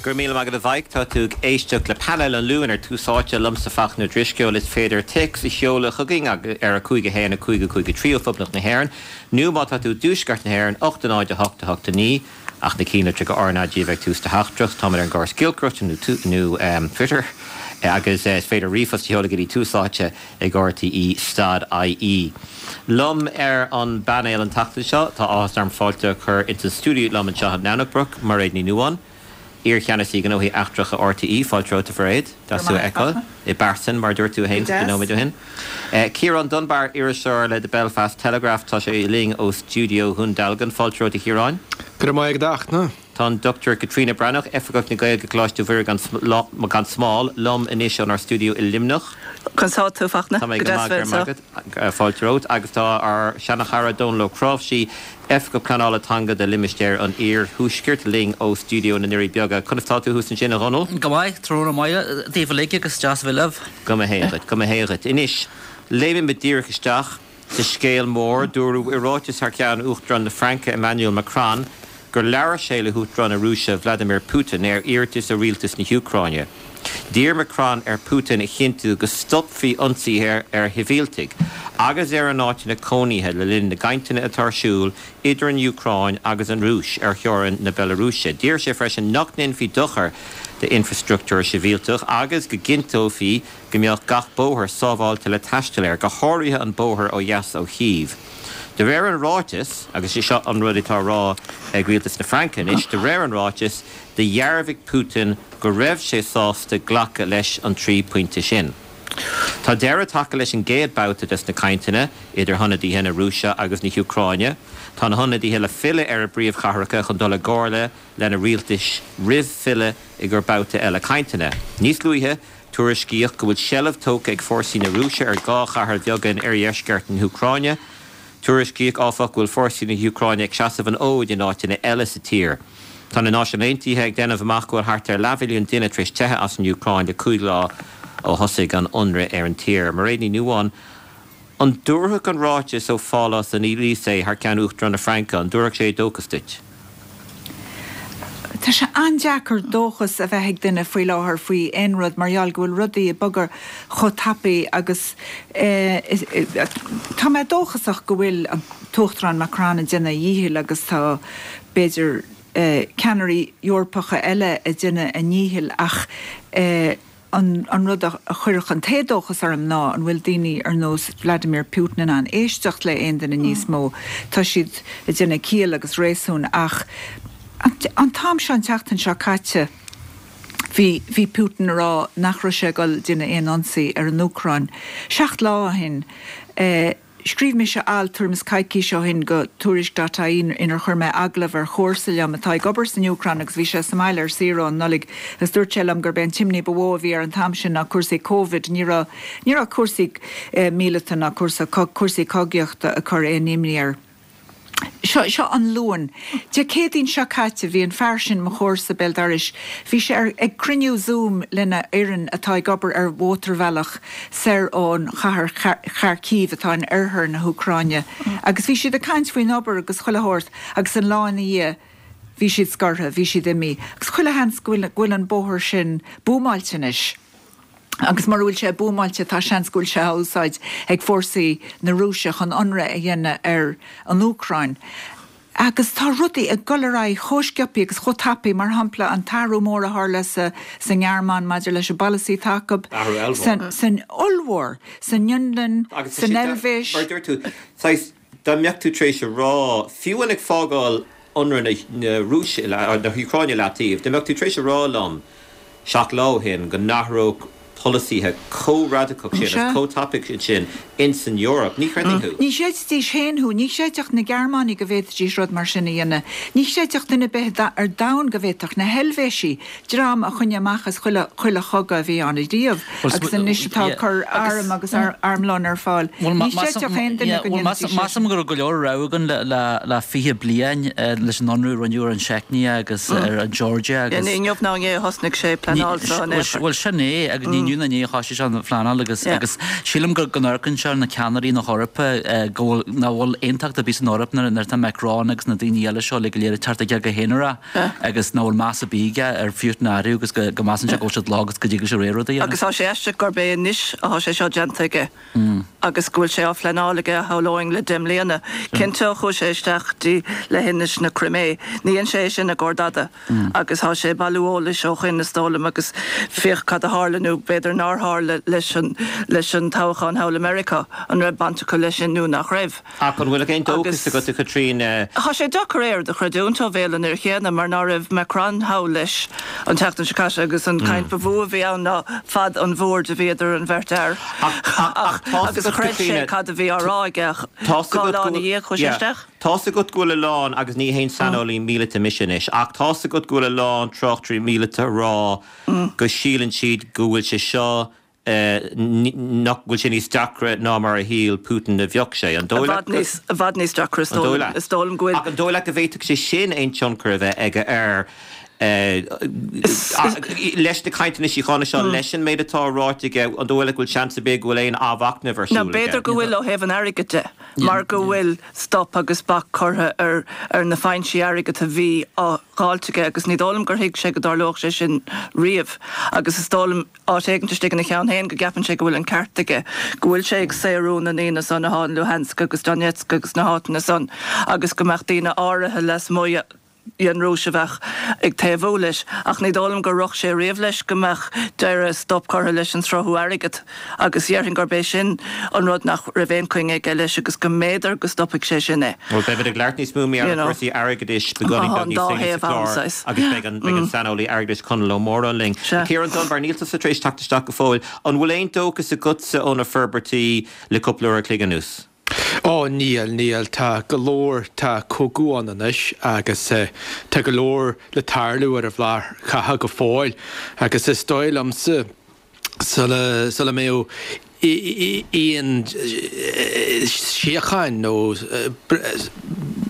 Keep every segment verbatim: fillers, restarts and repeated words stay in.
Go raibh míle maith agat a Mhaidhc tá tú ag éisteacht le painéal an Luain ar Tús Áite liomsa Fachtna Ó Drisceoil is féidir téacs a sheoladh chugainn ar a cúig a haon a cúig a cúig a trí ó Phoblacht na hÉireann nó má tá tú i dtuaisceart na hÉireann ocht a náid a hocht a hocht a naoi ach na cinnlitreacha RnaG a bheith ag tús do theachtaireacht táimid ar an gcóras giolcaireachta nó nó Twitter agus is féidir ríomhphost a sheoladh go dtí Tús Áite ag RTÉ stad IE. Liom ar an bpainéal an tseachtain seo tá áthas orm fáilte a chur insa stiúideo liom anseo in nDomhnach Broc Mairéad Ní Nuadháin. Iar-cheannasaí gnóthaí eachtracha RTÉ fáilte romhat a Mhairéad deas tú a fheiceáil i bpearsan mar dúirt tú féin nóiméad ó shin. Ciarán Dunbar iriseoir le The Belfast Telegraph tá sé linn ó stiúideo Dhún Dealgan fáilte romhat a Chiaráin. Go raibh maith agat a Fhachtna. Tá an Dr Caitríona Breathnach Oifigeach na Gaeilge Coláiste Mhuire gan Smál liom anois ónár stiúideo i Luimneach. Conas tá tú Fachtna Tá mé go maith fáilte romhat agus tá ár seanchara Dónal Ó Cnáimhsí Oifigeach Pleanála Teanga de Limistéar an Iarthuaiscirt linn ó stiúideo na nDoirí Beaga. Conas tá tú thuas ansin a Dhónaill? Go maith tráthnóna maith daoibh uilig agus deas a bheith libh. Go mba hé dhuit, go mba hé dhuit. Anois, léimimid díreach isteach sa scéal mór dúradh i ráiteas thar ceann Uachtarán na Fraince Emmanuel Macron gur labhair sé le hUachtarán na Rúise Vladimir Putin ar iarratas ó rialtas na hÚcráine. D'iarr Macron ar Putin a chinntiú go stopfaí ionsaithe ar shibhialtaigh, agus ar a n-áiteanna cónaithe le linn na gcainteanna atá ar siúl idir an Úcráin agus an Rúis ar theorainn na Bealarúise. D'iarr sé freisin nach ndéanfaí dochar d'infreastruchtúr sibhialtach agus go gcinnteofaí go mbeadh gach bóthar sábháilte le taisteal air, go háirithe an bóthar ó dheas ó Chív. De réir an ráitis agus seo an rud atá á rá ag rialtas na Fraince anois, de réir an ráitis dhearbhaigh Putin go raibh sé sásta glacadh leis an trí pointe sin. Tá deireadh tagtha leis an gcéad babhta des na cainteanna idir hionadaithe na Rúise agus na hÚcráine. Tá na hionadaithe le filleadh ar a bpríomhchathracha chun dul i gcomhairle lena rialtais roimh filleadh i gcomhair babhta eile cainteanna. Níos luaithe tuairiscíodh go bhfuil seilbh tógtha ag fórsaí na Rúise ar dhá chathair bheaga in oirdheisceart na hÚcráine. Tuairiscíodh áfach go bhfuil fórsaí na hÚcráine ag seasamh an fhóid in áiteanna eile sa tír. Tá na Náisiúin Aontaithe ag déanamh amach go bhfuil thart ar leathmhilliún duine tar éis teitheadh as an Úcráin le cúig lá ó thosaigh an t-ionradh ar an tír. Mairéad Ní Nuadháin, an dtabharfadh an ráiteas ó Phálás an Élysée thar ceann Uachtarán na Fraince, an dtabharfadh sé dóchas duit? Tá sé an-deacair dóchas a bheith ag duine faoi láthair faoi aon rud mar gheall go bhfuil rudaí ag bogadh chomh tapaidh agus tá mé dóchasach go bhfuil an tUachtarán Macron ag déanamh a dhíchill agus tá b'fhéidir ceannairí Eorpacha eile ag déanamh a ndíchill ach an an rud a chuirfeadh an t-éadóchas orm ná an bhfuil daoine ar nós Vladimir Putin in ann éisteacht le aon duine níos mó. Tá siad ag déanamh ciall agus réasún ach an t-am seo an tseachtain seo caite bhí bhí Putin ag rá nach raibh sé ag dul déanamh aon ionsaí ar an Úcráin. Seacht lá ó shin Scríobh mise alt tuairim is coicís ó shin go Tuairisc.ie inar chuir mé agallamh ar chomharsa liom atá ag obair san Úcráin agus bhí sé sa mbaile ar saoire ón Nollaig agus dúirt sé liom gurb é an t-imní ba mhó a bhí air an t-am sin ná cúrsaí Covid. Ní raibh ní raibh cúrsaí míleata ná cúrsa cúrsaí cogaíochta ag cur aon imní air. Seo seo an Luan. Dé Céadaoin seo caite bhí an fear sin, mo chomharsa béal dorais, bhí sé ar ag cruinniú Zoom lena fhoireann atá ag obair ar mhótarbhealach soir ón chathair Kharkiv atá in oirthear na hÚcráine agus bhí siad ag caint faoin obair agus chuile shórt agus an lá ina dhiaidh bhí siad scortha, bhí siad imithe agus chuile sheans go bhfuil go bhfuil an bóthar sin buamáilte anois. Agus mura bhfuil sé buamáilte tá seans go bhfuil sé á úsáid ag fórsaí na Rúise chun ionradh a dhéanamh ar an Úcráin. Agus tá rudaí ag dul ar aghaidh chomh sciobtha agus chomh tapaidh, mar shampla an t-athrú mór a tharla sa sa nGearmáin maidir leis an bpolasaí atá acu, Athrú ollmhór. san ollmhór, san Fhionlainn, Agus tá san sé Eilvéis. Mar a dúirt tú, saghas, dá mbeadh tú tar éis a rá, fiú amháin ag fágáil ionradh na Rúise, na hÚcráine leataobh, dá mbeadh tú tar éis a rá liom seacht lá ó shin go n-athródh polasaithe chomh radacach sin agus chomh tapaidh sin ins an Eoraip, ní chreidfinn thú. Ní chreidfidís féin thú. Ní chreidfeadh na Gearmánaigh go bhféadfaidís rud mar sin a dhéanamh. Ní chreidfeadh duine ar bith ar domhan go bhféadfadh na hEilvéisigh, dream a choinnigh amach as chuile chuile chogadh a bhí ann ariamh agus anois atá ag cur arm agus armlón ar fáil. Ní chreidfeadh aon duine go ndéanfaidís é sin. Measaim go raibh go leor rabhadh againn le fiche bliain leis an ionradh a rinneadh ar an tSeicnia agus ar an Georgia agus. Ní inniu ná inné a thosnaigh sé ag pleanáil seo in aon chor. Bhuel sin é agus ní inniu Inniu nó inné a thosaigh sé an phleanáil agus agus sílim go go n-amharcann sé ar na ceannairí na hEorpa go bhfuil nach bhfuil aontacht ar bith san Eoraip nuair nuair atá Macron agus na daoine eile seo le go léir ag teacht aige go haonarach agus nach bhfuil meas ar bith aige ar Phutin ariamh agus go go measann sé go bhfuil siad lag agus go dtig leis a rogha rud a dhéanamh. Agus tá sé aisteach gurb é anois atá sé seo déanta aige agus go bhfuil sé á phleanáil aige shamhlóinn le deich mbliana. Cinnte ó chuaigh sé isteach dtí leithinis na Crimé. Ní dhein sé é sin i gcomhair dada agus tá sé ag bailiú eolais ó shoin is dóigh liom agus féach cad a tharla nó b'fhéidir nár tharla leis an leis an toghchán thall i Meiriceá, an raibh baint acu leis sin nó nach raibh. Ach an bhfuil aon dóchas Agus agat a Chaitríona? Tá sé deacair é a chreidiúint ó bhéal an fhir chéanna mar ná raibh Macron thall leis an tseachtain seo caite agus an chaint ba mhó a bhí ann ná fad an bhoird a bhí idir an bheirt fhear. Ach tá Agus chreid sé cad a bhí á rá aige Tá dhá lá ina dhiaidh chuaigh sé isteach. Tá agat go bhfuil a lán agus ní haon saineolaí míleata mise anois, ach tá agat go bhfuil a lán tráchtairí míleata ag rá go síleann siad go bhfuil sé seo nach bhfuil sé níos deacra ná mar a shíl Putin a bheadh sé. An I bhfad níos i bhfad níos deacra is dóigh liom. Is dóigh liom go bhfuil. Ach an dóigh leat go bhféadfadh sé sin aon tionchar a bheith aige ar leis na cainteanna síochána seo leis an méid atá ráite aige an dóigh leat go bhfuil seans ar bith go bhfuil aon athmhachnamh ar Now siúl b'fhéidir aige. go bhfuil ó thaobh an airgid de, mar go bhfuil stop agus bac curtha ar ar na foinsí airgid a bhí á dháileadh aige agus ní dóigh liom gur thuig sé go dtarlódh sé sin riamh agus is dóigh liom áit éigin istigh ina cheann féin go gceapann sé go bhfuil an ceart aige, go bhfuil sé ag saorú na ndaoine san atá in Luhansk agus Donetsk agus na háiteanna san agus go mbeadh daoine áirithe lasmuigh den Rúis a bheadh ag taobhú leis, ach ní dóigh liom gur rith sé riamh leis go mbeadh deireadh stop curtha leis an sruthú airgid agus déarfainn gurb é sin an rud nach raibh aon choinne aige leis agus go mb'fhéidir go stopfaidh sé sin é. Well beimid ag labhairt níos mó mar You know. cúrsaí airgeadais beagáinín Tá beag an níos dá déanaí sa thaobh ann, chlár saghas. agus beidh an beidh an saineolaí airgeadais Conall Ó Móráin linn. Sea. Ciarán Dunbar, níl tusa tar éis teacht isteach go fóill. An bhfuil aon dóchas agatsa ó na forbairtí le cúpla uair a chloig anuas? Ó níl níl tá go leor tá cogadh ann anois agus uh, tá go leor le tarlú ar an bhlár catha go fóill agus is dóigh liomsa sula sula mbeidh aon síocháin nó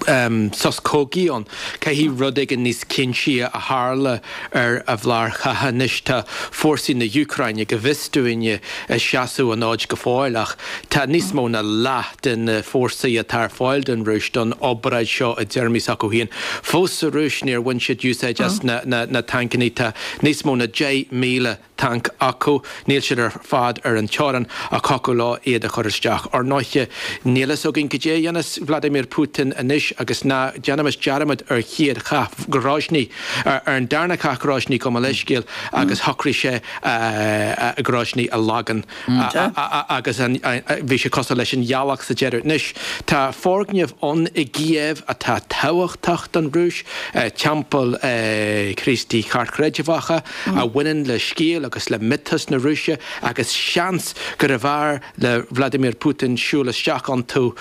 um, sos cogaidh ann caithfidh rud éigin níos cinnte a tharlú ar an bhlár catha anois tá fórsaí na hÚcráine go bhfios dúinne ag seasamh an fhóid go fóill ach tá níos mó ná leath den fórsaí atá ar fáil don Rúis don obráid seo i dtéarmaí s'acu féin. Fós sa Rúis níor bhain siad úsáid as na, na, na tancanna tá níos mó ná deich míle tanc acu, níl siad ar fad ar an teorainn ach thiocfadh leo iad a chur isteach. Ar ndóigh níl a fhios againn cad é a dhéanfas Vladimir Putin anois agus ná déanaimis dearmad ar chéad chath Grozny ar an darna cath Grozny go leiscéal agus shocraigh sé uh, Grozny a leagan agus bhí sé cosúil leis an ghealach sa deireadh. Anois tá foirgneamh ann i gCív atá tábhachtach don Rúis, teampall Críostaí ceartchreidmheacha a bhaineann le scéal agus le miotas na Rúise agus seans gurbh fhearr le Vladimir Putin siúl isteach iontu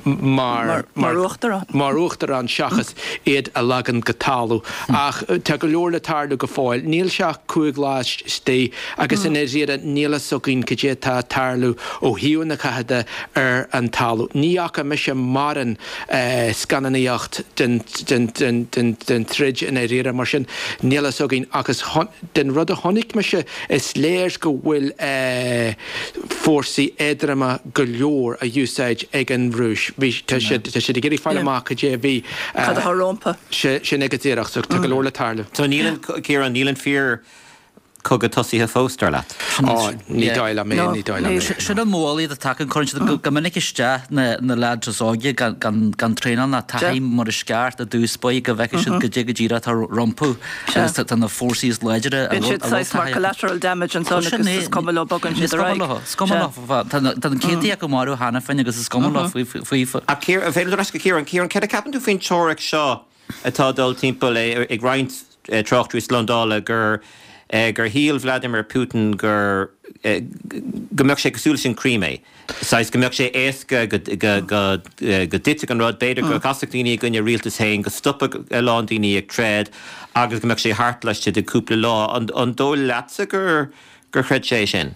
mar mar uachtarán. mar uachtarán seachas iad a leagan go talamh ach tá go leor le tarlú go fóill níl sé ach cúig lá istigh agus in iad níl a fhios againn cad é atá ag tarlú ó thaobh na catha de ar an talamh. Ní fhaca mise mórán scannánaíocht den den den den den troid in éire mar sin níl a fhios againn agus den rud a chonaic mise is léir go bhfuil fórsaí éadroma go leor á úsáid ag an Rúis. Bhí tá siad tá siad ag iarraidh fáil amach cad é bhí Cad atá rompu. sin ag díreach so tá go leor le tarlú. So níl an Ciarán níl an fíor cogadh tosaithe fós dar leat. Á ní dóigh liom é ní dóigh liom é. Sin an mhoill a tagann cuireann siad go minic isteach na na lads is óige gan gan gan traenáil ná taithí mar is ceart i dtús báire go bhfeicfidh siad cad é go díreach atá rompu agus tá na fórsaí is láidre Bíonn siad saghas mar collateral damage ansan agus is cuma leo bogann siad ar aghaidh. Is cuma leo tá na céadta acu marbh cheana féin agus is cuma leo faoi faoi A Ciarán féidir go Ciarán Ciarán céard a cheapann tú faoin teoiric seo atá dul timpeall ag roinnt tráchtairí slándála gur gur shíl Vladimir Putin gur go mbeadh sé cosúil leis an Crimea. Saghas go mbeadh sé éasca go go go dtitfeadh an rud b'fhéidir go gcasfadh daoine i gcoinne rialtas féin go stopfadh a lán daoine ag troid agus go mbeadh sé thart laistigh de cúpla lá an an dóigh leatsa gur gur chreid sé sin.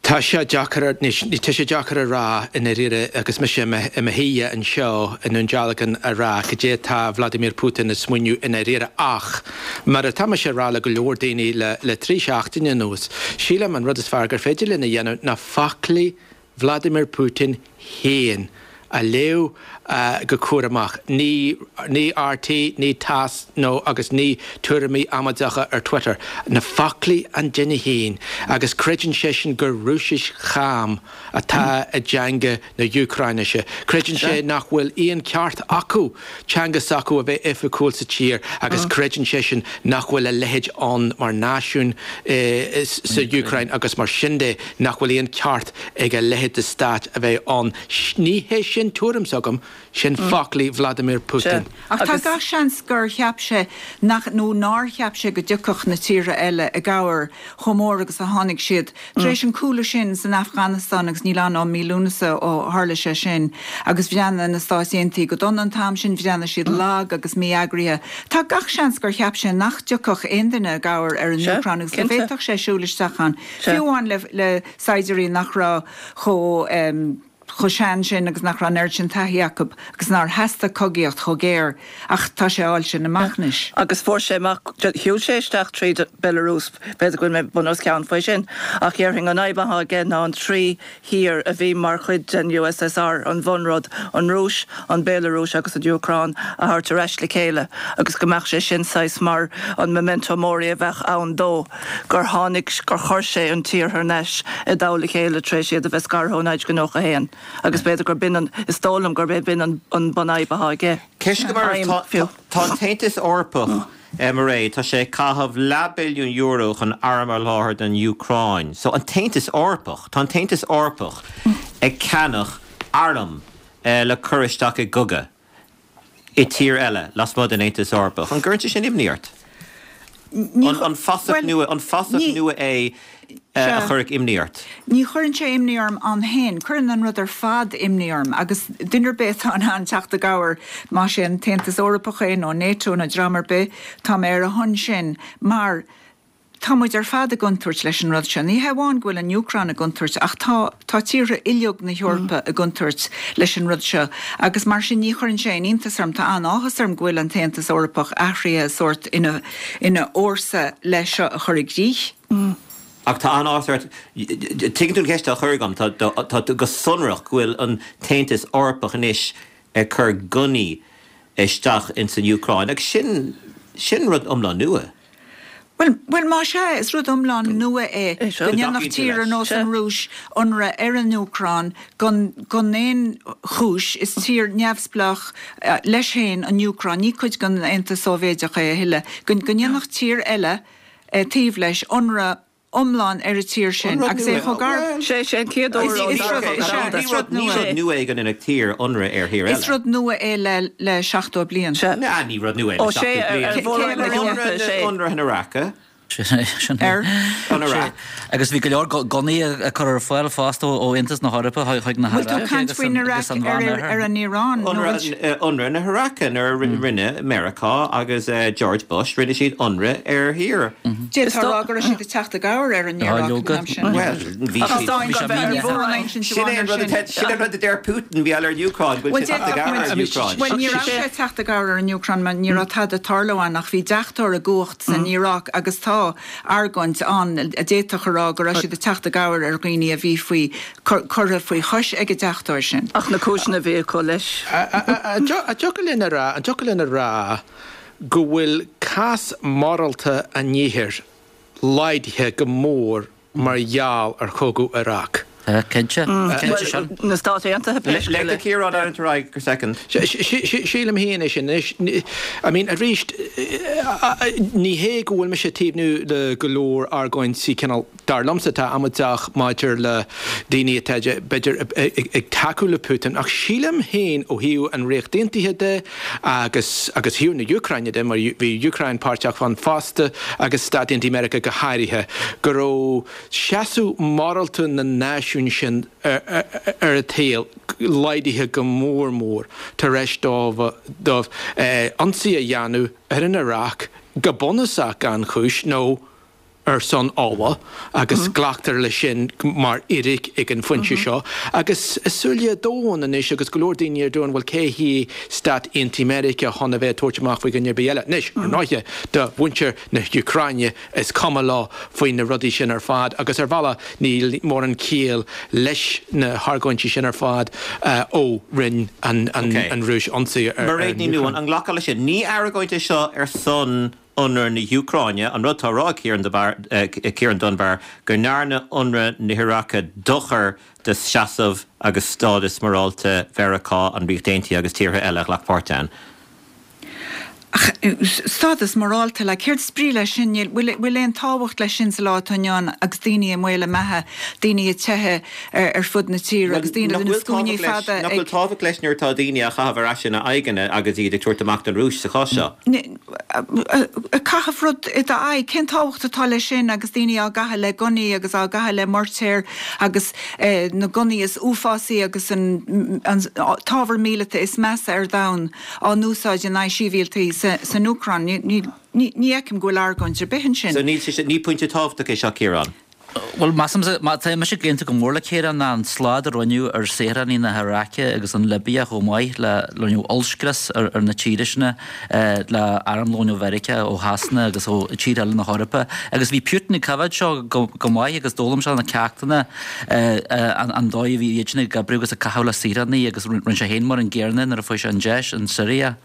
Tá sé deacair, tá sé deacair a rá i ndáiríre agus mise i mo shuí anseo i nDún Dealgan a rá cad é atá Vladimir Putin ag smaoineamh i ndáiríre ach mar atá mise a rá le go leor daoine le le trí seachtaine anuas, sílim an rud is fearr gur féidir linn a dhéanamh ná foclaí Vladimir Putin féin a léamh go cúramach. Ní ní RT, ní TASS nó agus ní tuairimí amaideacha ar Twitter. Na foclaí an duine féin. Agus creideann seisean gur Rúisis cham atá i dteanga na hÚcráinise. Creideann sé nach bhfuil aon ceart acu teanga s'acu a bheith oifigiúil sa tír agus creideann seisean nach bhfuil a leithéid ann mar náisiún sa Úcráin agus mar sin de nach bhfuil aon ceart ag a leithéid de stát a bheith ann. Ní hé sin tuairim s'agam, sin foclaí Vladimir Putin. Ach tá gach seans gur cheap sé nach, nó nár cheap sé go dtiocfadh na tíortha eile i gcabhair chomh mór agus a tháinig siad. Tar éis an cúlú sin san Afganastáin, agus níl ann ó mí Lúnasa ó tharla sé sin, agus bhreathnaigh na Stáit Aontaithe go dona an t-am sin, bhreathnaigh siad lag agus mí-eagraithe. Tá gach seans gur cheap sé nach dtiocfadh aon duine i gcabhair ar an Úcráin agus go bhféadfadh sé siúl isteach ann, fiú amháin le saighdiúirí nach raibh chomh chomh sean sin agus nach raibh an oiread sin taithí acu agus nár theastaigh cogaíocht chomh géar ach tá sé á fháil sin amach anois. Agus fuair sé amach, shiúil sé isteach tríd Belarus, b'fhéidir go bhfuil mé bun os cionn faoi sin, ach dhéarfainn an fhadhb atá aige ná an trí thír a bhí mar chuid den USSR, an bhunrud, an Rúis, an Bhéalarúis agus an Úcráin a thabhairt ar ais le chéile agus go mbeadh sé sin saghas mar an memento mori a bheadh ann dó gur tháinig, gur chuir sé an tír thar n-ais i dtoll a chéile tar éis iad a bheith scartha ó naoi déag nócha a haon. Agus b'fhéidir gur b'in an, is dóigh liom gurb é b'in an an bunfhadhb atá aige. Ceist go mar tá tá an tAontas Eorpach, Mairéad, tá sé ag caitheamh leathbhilliún euro chun arm a sholáthar don Úcráin. So an tAontas Eorpach, tá an tAontas Eorpach ag ceannach arm le cur isteach i gcogadh i tír eile lasmuigh den Aontas Eorpach. An gcuireann sé sin imní ort? An fasach nua, an fasach nua é a chuirfeadh imní ort? Ní chuireann sé imní orm ann féin. Cuireann an rud ar fad imní orm agus duine ar bith atá in ann teacht i gcabhair, más é an tAontas Eorpach é nó NATO nó dream ar bith, tá mé ar a shon sin mar tá muid ar fad i gcontúirt leis an rud seo. Ní hé amháin go bhfuil an Úcráin i gcontúirt ach tá tá tíortha uilig na hEorpa i gcontúirt leis an rud seo agus mar sin ní chuireann sé aon iontas orm, tá an-áthas orm go bhfuil an tAontas Eorpach athraithe sórt ina ina fhórsa le seo a chur i gcrích. Ach tá an-áthas ort, tuigeann tú an cheist á chur agam, tá tá go sonrach go bhfuil an tAontas Eorpach anois ag cur gunnaí isteach ins an Úcráin agus sin sin rud iomlán nua. Bhuel, bhuel, más ea, is rud iomlán nua é go ndéanfadh tír ar nós an Rúis ionradh ar an Úcráin gan, gan aon chúis. Is tír neamhspleách leis féin an Úcráin, ní cuid den Aontas Sóivéideach é a thuilleadh. Go, go ndéanfadh tír eile taobh leis ionradh iomlán ar an tír sin agus é chomh gar. Sé sé an chéad uair ó Is rud, is ea, is rud nua. Ní rud nua é go ndéanfadh tír ionradh ar thír eile. Is rud nua é le, le seachtó bliain. Sea. Ná, ní rud nua é le seachtó bliain. Ó, sé, ar mhór-roinn na hEorpa, sé. Ionradh na hIaráice. Sin é. An Iaráic. Agus bhí go leor gunnaí á cur ar fáil fosta ó Aontas na hEorpa chuig na Bhfuil tú ag hIaráice caint agus faoin an Iaráic ar Mheánoirthear. ar an Iaráin nó bhfuil Ionradh na hIaráice nuair a rinne Meiriceá agus George Bush, rinne siad ionradh ar thír. D'fhéadfá a rá go raibh siad ag teacht i gcabhair ar an Iaráic an am sin. Bhuel, bhí Ach siad. is dóigh Bhí mórán insint Sin é amháin an ar rud sin. a sin é an rud a deir Putin, bhí ar an Úcráin, go bhfuil Bhuel, siad ag teacht i d'fhéadfadh gcabhair muid, ar an Úcráin. bhuel, ní raibh sé ag teacht i gcabhair ar an Úcráin mar ní raibh tada ag tarlú ann ach bhí deachtóir i gcumhacht san Iaráic agus tá argóint ann a d'fhéadfadh a rá go raibh siad ag teacht i gcabhair ar dhaoine a bhí faoi, curtha faoi chois ag an deachtóir sin. Ach na cúiseanna a bhí acu leis. An dtiocfadh linn a rá, an dtiocfadh linn a rá go bhfuil cás morálta an iarthair laghdaithe go mór mar gheall ar chogadh Iraq? Tá, cinnte. Cinnte sin. Na Stáit Aontaithe pé scéal Let é. Ciarán ar aghaidh go second. Sílim féin é sin anois. I mean, arís, ní hé go bhfuil mise ag taobhnú le go leor argóintí cineál, dar liomsa, atá amaideach maidir le daoine atá, b'fhéidir, ag tacú le Putin, ach sílim féin ó thaobh an Ríocht Aontaithe de agus agus thaobh na Úcráine de, mar bhí Úcráin páirteach ann fosta, agus Stáit Aontaithe Meiriceá go háirithe, go raibh seasamh morálta na náisiún sin ar an tsaol laghdaithe go mór mór tar éis dóibh ionsaí a dhéanamh ar an Iaráic go bunúsach gan chúis nó ar son ola agus glactar leis sin mar fhíric ag an phointe seo. Agus i súile domhain anois agus go leor daoine ar domhan, bhuel cé hí Stáit Aontaithe Meiriceá chun a bheith ag tabhairt amach faoi dhuine ar bith eile. Anois, ar ndóighe, do mhuintir na hÚcráine is cuma leo faoi na rudaí sin ar fad agus ar bhealach níl mórán ciall leis na hargóintí sin ar fad ó rinne an Rúis ionsaí ar Mairéad Ní Nuadháin, an nglacfá leis sin? Ní argóint é seo ar son ionradh na hÚcráine, an rud atá á rá ag Ciarán Dunbar, go ndearna ionradh na hIaráice dochar do sheasamh agus stádas morálta Mheiriceá, an Ríocht Aontaithe agus tíortha eile a ghlac páirt ann. Ach stádas morálta, like, céard is brí leis sin? Níl, bhfuil, bhfuil aon tábhacht leis sin sa lá atá inniu ann agus daoine i mbaol a mbeatha, daoine ag teitheadh ar, ar fud na tíre agus daoine Nach na bhfuil scuainí tábhacht leis, fada nach bhfuil ag. tábhacht leis nuair atá daoine á chaitheamh ar ais ina n-aghaidheanna agus iad ag tabhairt amach don Rúis sa chás seo? Ag caitheamh rud i d'aghaidh, cén tábhacht atá leis sin agus daoine á gcaitheamh le gunnaí agus á gcaitheamh le moirtéir agus na gunnaí is uafásaí agus an, an t-ábhar míleata is measa ar domhan á n-úsáid in aghaidh sibhialtaigh san Úcráin. Ní fheicim go bhfuil argóint ar bith ansin. So níl sé sin, ní pointe tábhachtach é seo, Ciarán. Bhuel, measaimse, má tá mise ag aontú go mór le Ciarán ná an slad a rinneadh ar saoránaigh na hIaráice agus an Libia chomh maith le rinneadh ollscrios ar ar na tíre sin le armlón ó Mheiriceá, ó Shasana agus ó tíortha eile na hEorpa. Agus bhí Putin ag coimhéad seo go go maith agus d'fhoghlaim sé na ceachtanna an an dóigh a bhí iad sin ag oibriú agus ag caitheamh le saoránaigh agus rinne sé féin mar an gcéanna nuair a fuair sé an deis in Siria.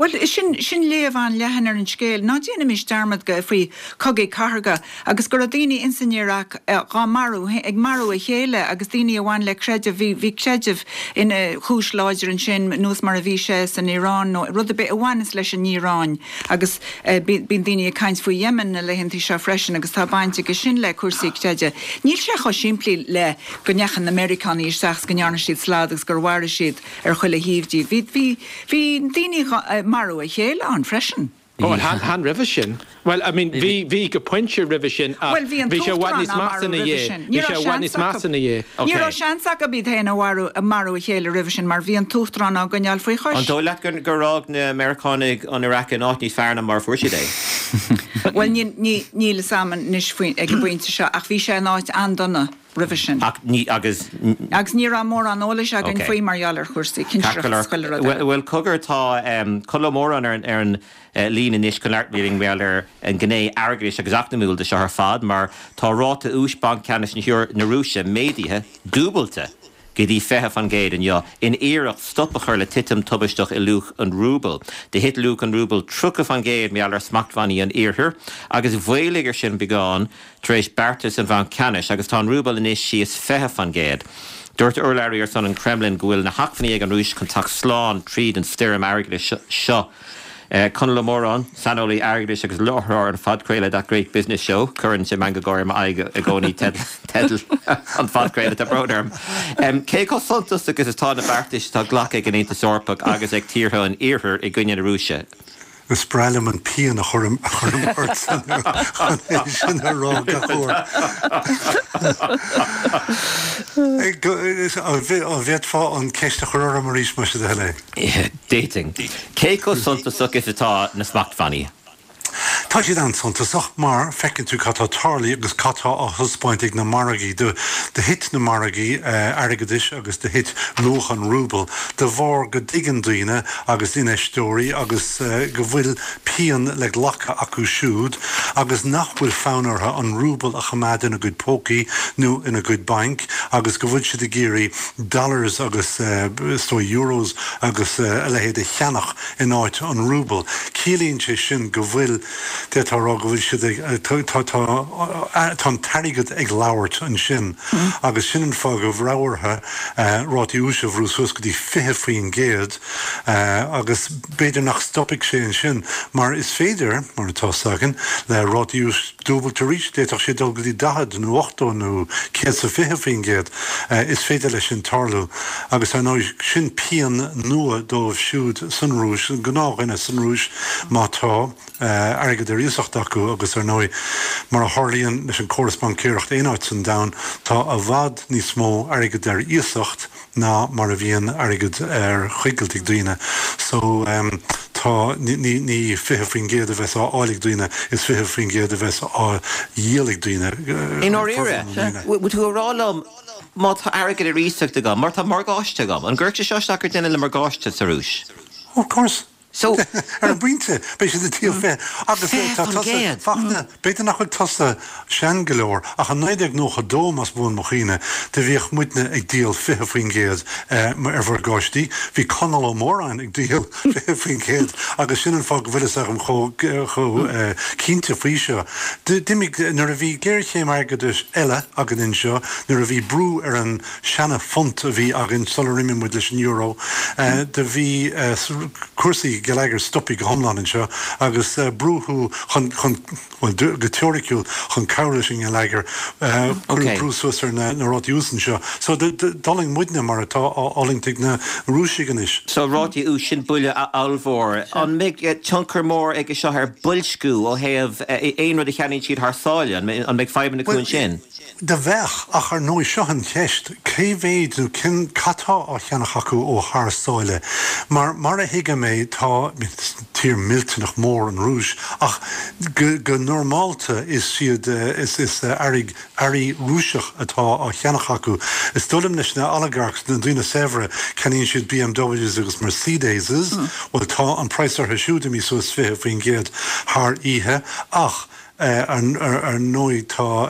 Bhuel, sin, sin léamh an-leathan ar an scéal. Ná déanaimis dearmad go, faoi chogaí cathartha agus go raibh daoine ins an Iaráic dhá marú, ag marú a chéile agus daoine a bhain le creideamh, bhí, bhí creideamh ina chúis láidir ansin, nós mar a bhí sé san Iaráin nó rud ar bith a bhaineas leis an Iaráin agus bíonn daoine ag caint faoi Yemen na laethantaí seo freisin agus tá baint aige sin le cúrsaí creidimh. Níl sé chomh simplí le go ndeachaigh na Meiriceánaigh isteach 's go ndearna siad slad agus gur mharaigh siad ar chuile thaobh díobh. Bhí, bhí, bhí daoine ag marú a chéile ann freisin. Ó, chan roimhe sin. Bhuel, I mean, bhí, bhí go pointe roimhe sin ach Bhuel, bhí an bhí sé i bhfad t-uachtarán níos á measa marú ina roimhe dhiaidh. sin. Bhí Ní sé raibh i bhfad seans níos acu. measa ina dhiaidh. Ní raibh Ok. seans acu iad féin a mharú, a marú a chéile roimhe sin mar bhí an t-uachtarán á gcoinneáil faoi An chois. dóigh leat gur, gur fhág na Meiriceánaigh an Iaráic in áit níos fearr ná mar a fuair siad é? Bhuel, níl, ní, níl fhios a'm anois faoi, ag an bpointe seo ach bhí sé in áit an-dona roimhe sin. Ach ní, agus. Agus ní raibh mórán eolais againn Ok. faoi mar gheall ar chúrsaí Ceart go cinsireachta leor. is chuile rud eile. Bhuel, cogar, tá Conall Ó Móráin ar an, ar an líne anois chun labhairt linn mar gheall ar an ghné airgeadais agus eacnamúil de seo ar fad mar tá ráta úis Banc Ceannais na Rúise méadaithe, dúbailte, go dtí fiche fan gcéad inniu in iarracht stop a chur le titim tubaisteach i luach an rúbail. Do thit luach an rúbail tríocha fan gcéad mar gheall ar smachtbhannaí an Iarthair agus mhaolaigh ar sin beagán tar éis beartas an Bhainc Ceannais agus tá an rúbal anois síos fiche fan gcéad. Dúirt urlabhraí ar son an Kremlin go bhfuil na hacmhainní ag an Rúis chun teacht slán tríd an stoirm airgeadais seo. Conall Ó Móráin, saineolaí airgeadais agus láithreoir an phodchraoladh That Great Business Show, cuireann sé meangadh gáire i m'aghaidh i gcónaí teideal an phodchraoladh, tá brón orm. Cé chomh suntasach is atá na beartais atá glactha ag an Aontas Eorpach agus ag tíortha an Iarthair i gcoinne na Rúise? Is breá liom an pian a chuirim ort chun é sin a rá gach uair. An bhféadfá an ceist a chur orm arís más é do thoil é? D'fhéadfainn. Cé chomh suntasach is atá na smachtbhannaí? Tá siad an-suntasach mar feiceann tú cad tá tarlaithe agus cad tá á thaispeáint ag na margaí. Do thit na margaí airgeadais agus do thit luach an rúbail de bharr go dtuigeann daoine agus infheisteoirí agus go bhfuil pian le glacadh acu siúd agus nach bhfuil fonn orthu an rúbal a choimeád ina gcuid pócaí nó ina gcuid bainc agus go bhfuil siad ag iarraidh dollars agus is dóigh euros agus a leithéid a cheannach in áit an rúbail. Ciallaíonn sé sin go bhfuil, d'fhéadfá a rá go bhfuil siad ag, tá, tá, tá an t-airgead ag labhairt ansin agus sin an fáth go raibh orthu rátaí úis a bhrú suas go dtí fiche faoin gcéad agus b'fhéidir nach stopfaidh sé ansin mar is féidir, mar atá 's againn, le rátaí úis dúbailt arís, d'fhéadfadh sé dul go dtí daichead nó ochtó nó céad 's a fiche faoin gcéad. Is féidir leis sin tarlú agus ar ndóigh sin pian nua dóibh siúd san Rúis, an gnáthdhuine san Rúis má tá airgead ar iasacht acu agus ar ndóigh mar a tharlaíonn leis an córas baincéireachta aon áit san domhan, tá i bhfad níos mó airgead ar iasacht ná mar a bhíonn airgead ar choigilt ag daoine. So tá tá ní ní fiche faoin gcéad a bheas á fháil ag daoine, is fiche faoin gcéad a bheas á dhíol ag daoine. I ndáiríre, bhfuil tú ag rá liom má tá airgead ar iasacht agam, mar tá morgáiste agam, an gcuirfeadh sé seo isteach ar duine le morgáiste sa Rúis? Of course. So, ar an bpointe, beidh siad ag díol fiche agus tá tusa, Fachtna, b'fhéidir nach bhfuil tusa sean go leor, ach i naoi déag nócha dó, más buan mo chuimhne, do bhíodh muidne ag díol fiche faoin gcéad ar mhorgáistí. Bhí Conall Ó Móráin ag díol fiche faoin gcéad agus sin an fáth go bhfuil fhios agam chomh chomh cinnte faoi seo. D'imigh, nuair a bhí géarchéim airgeadais eile againn anseo, nuair a bhí brú ar an seana-phunt a bhí againn sular imigh muid leis an euro, do bhí cúrsaí geilleagair stoptha go hiomlán anseo agus brúdh chun, chun, bhuel, go teoiriciúil, chun cabhrú leis an ngeilleagar, cuireadh brú suas ar na rátaí úis anseo. So d'fhulaing muidne mar atá á fhulaingt ag na Rúisigh anois. So rátaí úis, sin buille ollmhór. An mbeidh tionchar mór aige seo ar boilsciú ó thaobh aon rud a cheannaíonn siad thar sáile? An mbeidh fadhbanna acu ansin? Do bheadh, ach ar ndóigh seo an cheist, cé mhéid nó cén, cad tá á cheannach acu ó thar sáile? Mar, mar a thuigim é, tá, is tír millteanach mór an Rúis, ach go, go normálta is iad, is, is earraí, earraí Rúiseach atá á cheannach acu. Is dóigh liom leis na oligarchs, na daoine saibhre, ceannaíonn siad BMWs agus Mercedeses, bhuel tá an praghas orthu siúd imithe suas fiche faoin gcéad thar oíche, ach, Ar ndóigh tá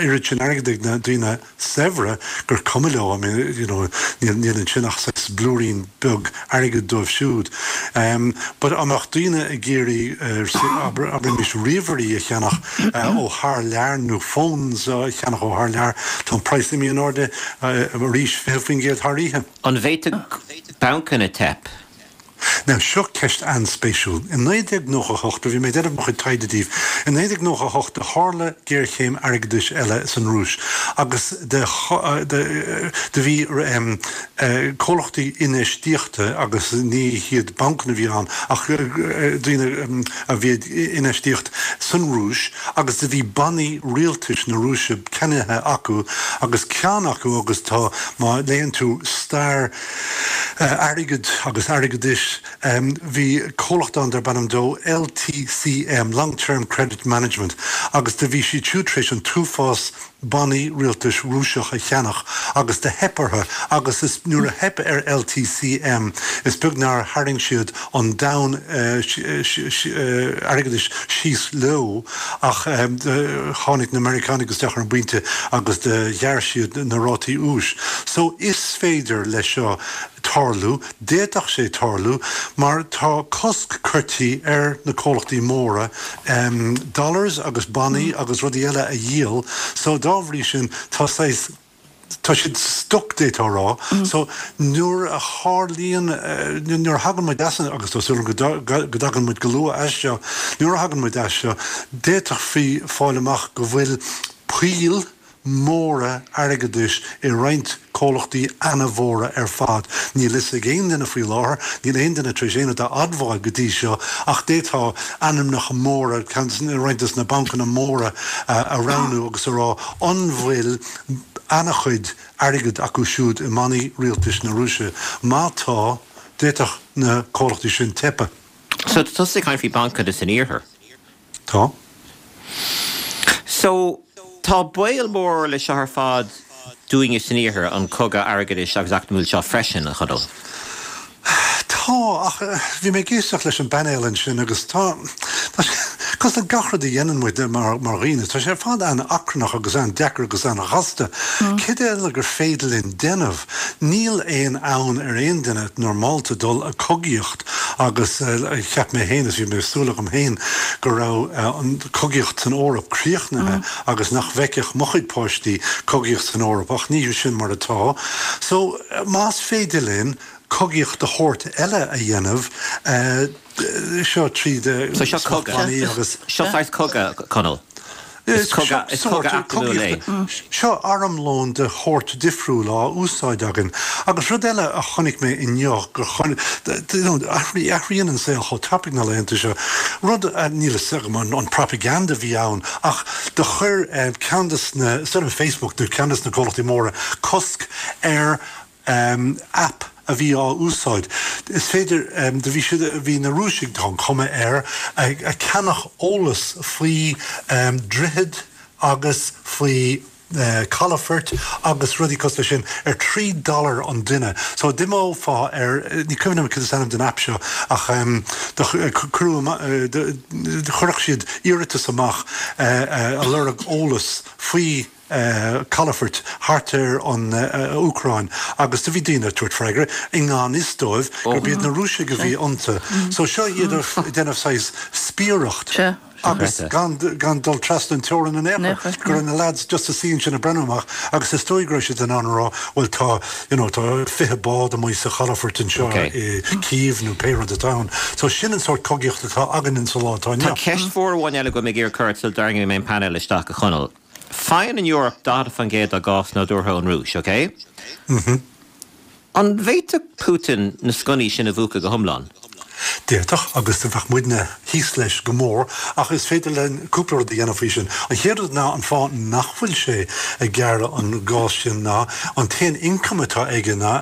oiread sin airgid ag na daoine saibhre gur cuma leo, I mean, you know, níl níl ansin ach saghas blúirín beag airgid dóibh siúd. But an mbeadh daoine ag iarraidh, abraimis, ríomhairí a cheannach ó thar lear nó phones a cheannach ó thar lear, tá an praghas imithe in airde arís fiche faoin gcéad thar oíche. An bhféadfadh bancanna teip? Now, seo ceist an-spéisiúil. I naoi déag nócha a hocht, bhí mé ag déanamh mo chuid taighde daoibh, i naoi déag nócha a hocht do tharla géarchéim airgeadais eile san Rúis agus do do bhí comhlachtaí infheistíochta agus ní hiad bancanna a bhí ann ach daoine a bhí ag infheistíocht san Rúis agus do bhí bannaí rialtais na Rúise ceannaithe acu agus ceann acu agus tá má léann tú stair airgid agus airgeadais. Bhí comhlacht ann darb ainm dó LTCM, Long Term Credit Management, agus do bhí siad siúd tar éis an t-uafás bannaí rialtais Rúiseach a cheannach agus do theip orthu agus is nuair a theip ar LTCM is beag nár tharraing siad an domhan airgeadais síos leo ach tháinig na Meiriceánaigh isteach ar an bpointe agus do ghearr siad na rátaí úis. So is féidir leis seo tarlú, d'fhéadfadh sé tarlú, mar tá cosc curtha ar na comhlachtaí móra dollars agus bannaí agus rudaí eile a dhíol, so dá bhrí sin tá saghas, tá siad stuck d'fhéadfá a rá. So nuair a tharlaíonn, nuair a thagann muid as an, agus tá súil agam go dtagann muid go luath as seo, nuair a thagann muid as seo, d'fhéadfaí fáil amach go bhfuil poill, móra airgeadais i roinnt comhlachtaí ana-mhóra ar fad. Níl fhios ag aon duine faoi láthair, níl aon duine tar éis aon rud a admháil go dtí seo, ach d'fhéadfá ainmneacha móra, roinnt des na bancanna móra a roghnú agus a rá an bhfuil ana-chuid airgid acu siúd i mbannaí rialtais na Rúise. Má tá, d'fhéadfadh na comhlachtaí sin teipeadh. So tá tusa ag caint faoi bancanna san iarthar? Tá. So, tá baol mór leis seo ar fad dúinne san iarthar, an cogadh airgeadais agus eacnamúil seo freisin, a Chonaill? Tá, ach bhí mé ag éisteacht leis an bpainéal ansin agus tá, tá sé, cosúil le gach rud a dhéanann muid mar, mar dhaoine, tá sé ar fad an-achrannach agus an-deacair agus an-ghasta. Céard eile gur féidir linn déanamh? Níl aon fhonn ar aon duine normálta dul ag cogaíocht agus cheap mé féin, is bhí mé ag súil agam féin, go raibh an cogaíocht san Eoraip críochnaithe agus nach bhfeicfeadh mo chuid páistí cogaíocht san Eoraip, ach ní sin mar atá. So, más féidir linn cogaíocht de shórt eile a dhéanamh, seo tríd So seo cogadh. smachtbhannaí agus. Seo saghas cogadh, Conall. Is cogadh, is cogadh eacnamúil é. Seo armlón de shórt difriúil á úsáid againn. Agus rud eile a chonaic mé inniu, gur chonaic, you know, athraíonn an saol chomh tapaidh na laethanta seo. Rud, níl a fhios agam an propaganda a bhí ann, ach do chuir ceann des na, is dóigh liom Facebook nó ceann des na comhlachtaí móra, cosc ar app a bhí á úsáid. Is féidir, do bhí siad, bhí na Rúisigh, tá an chuma air, ag ceannach eolas faoi droichid agus faoi calafoirt agus rudaí cosúil leis sin ar trí dollar an duine. So d'imeofá ar, ní cuimhin liom cad is ainm don aip seo ach do cuireadh, chuirfeadh siad iarratas amach a lorg eolas faoi calafoirt thart ar an Úcráin agus do bhí daoine ag tabhairt freagra i ngan fhios dóibh gurb iad na Rúisigh a bhí iontu. So seo iad ag déanamh saghas spiaireacht agus gan gan dul trasna an teorainn in aon chor, go raibh na lads just ag suí ansin ag breathnú amach agus is dóigh go raibh siad in ann a rá bhuel tá you know tá fiche bád amuigh sa chalafort anseo i Kyiv nó pé rud atá ann. So sin an sórt cogaíocht atá againn sa lá atá inniu. Tá ceist mhór amháin eile agam ag iarraidh cur sula dtarraingfidh mé an painéal isteach, a Chonaill. Faigheann an Eoraip daichead faoin gcéad dá gás nádúrtha ón Rúis, ok? An bhféadfadh Putin na sconnaí sin a mhúchadh go hiomlán? D'fhéadfadh, agus bheadh muidne thíos leis go mór, ach is féidir linn cúpla rud a dhéanamh faoi sin. An chéad rud ná an fáth nach bhfuil sé ag gearradh an gás sin ná an t-aon ioncam atá aige ná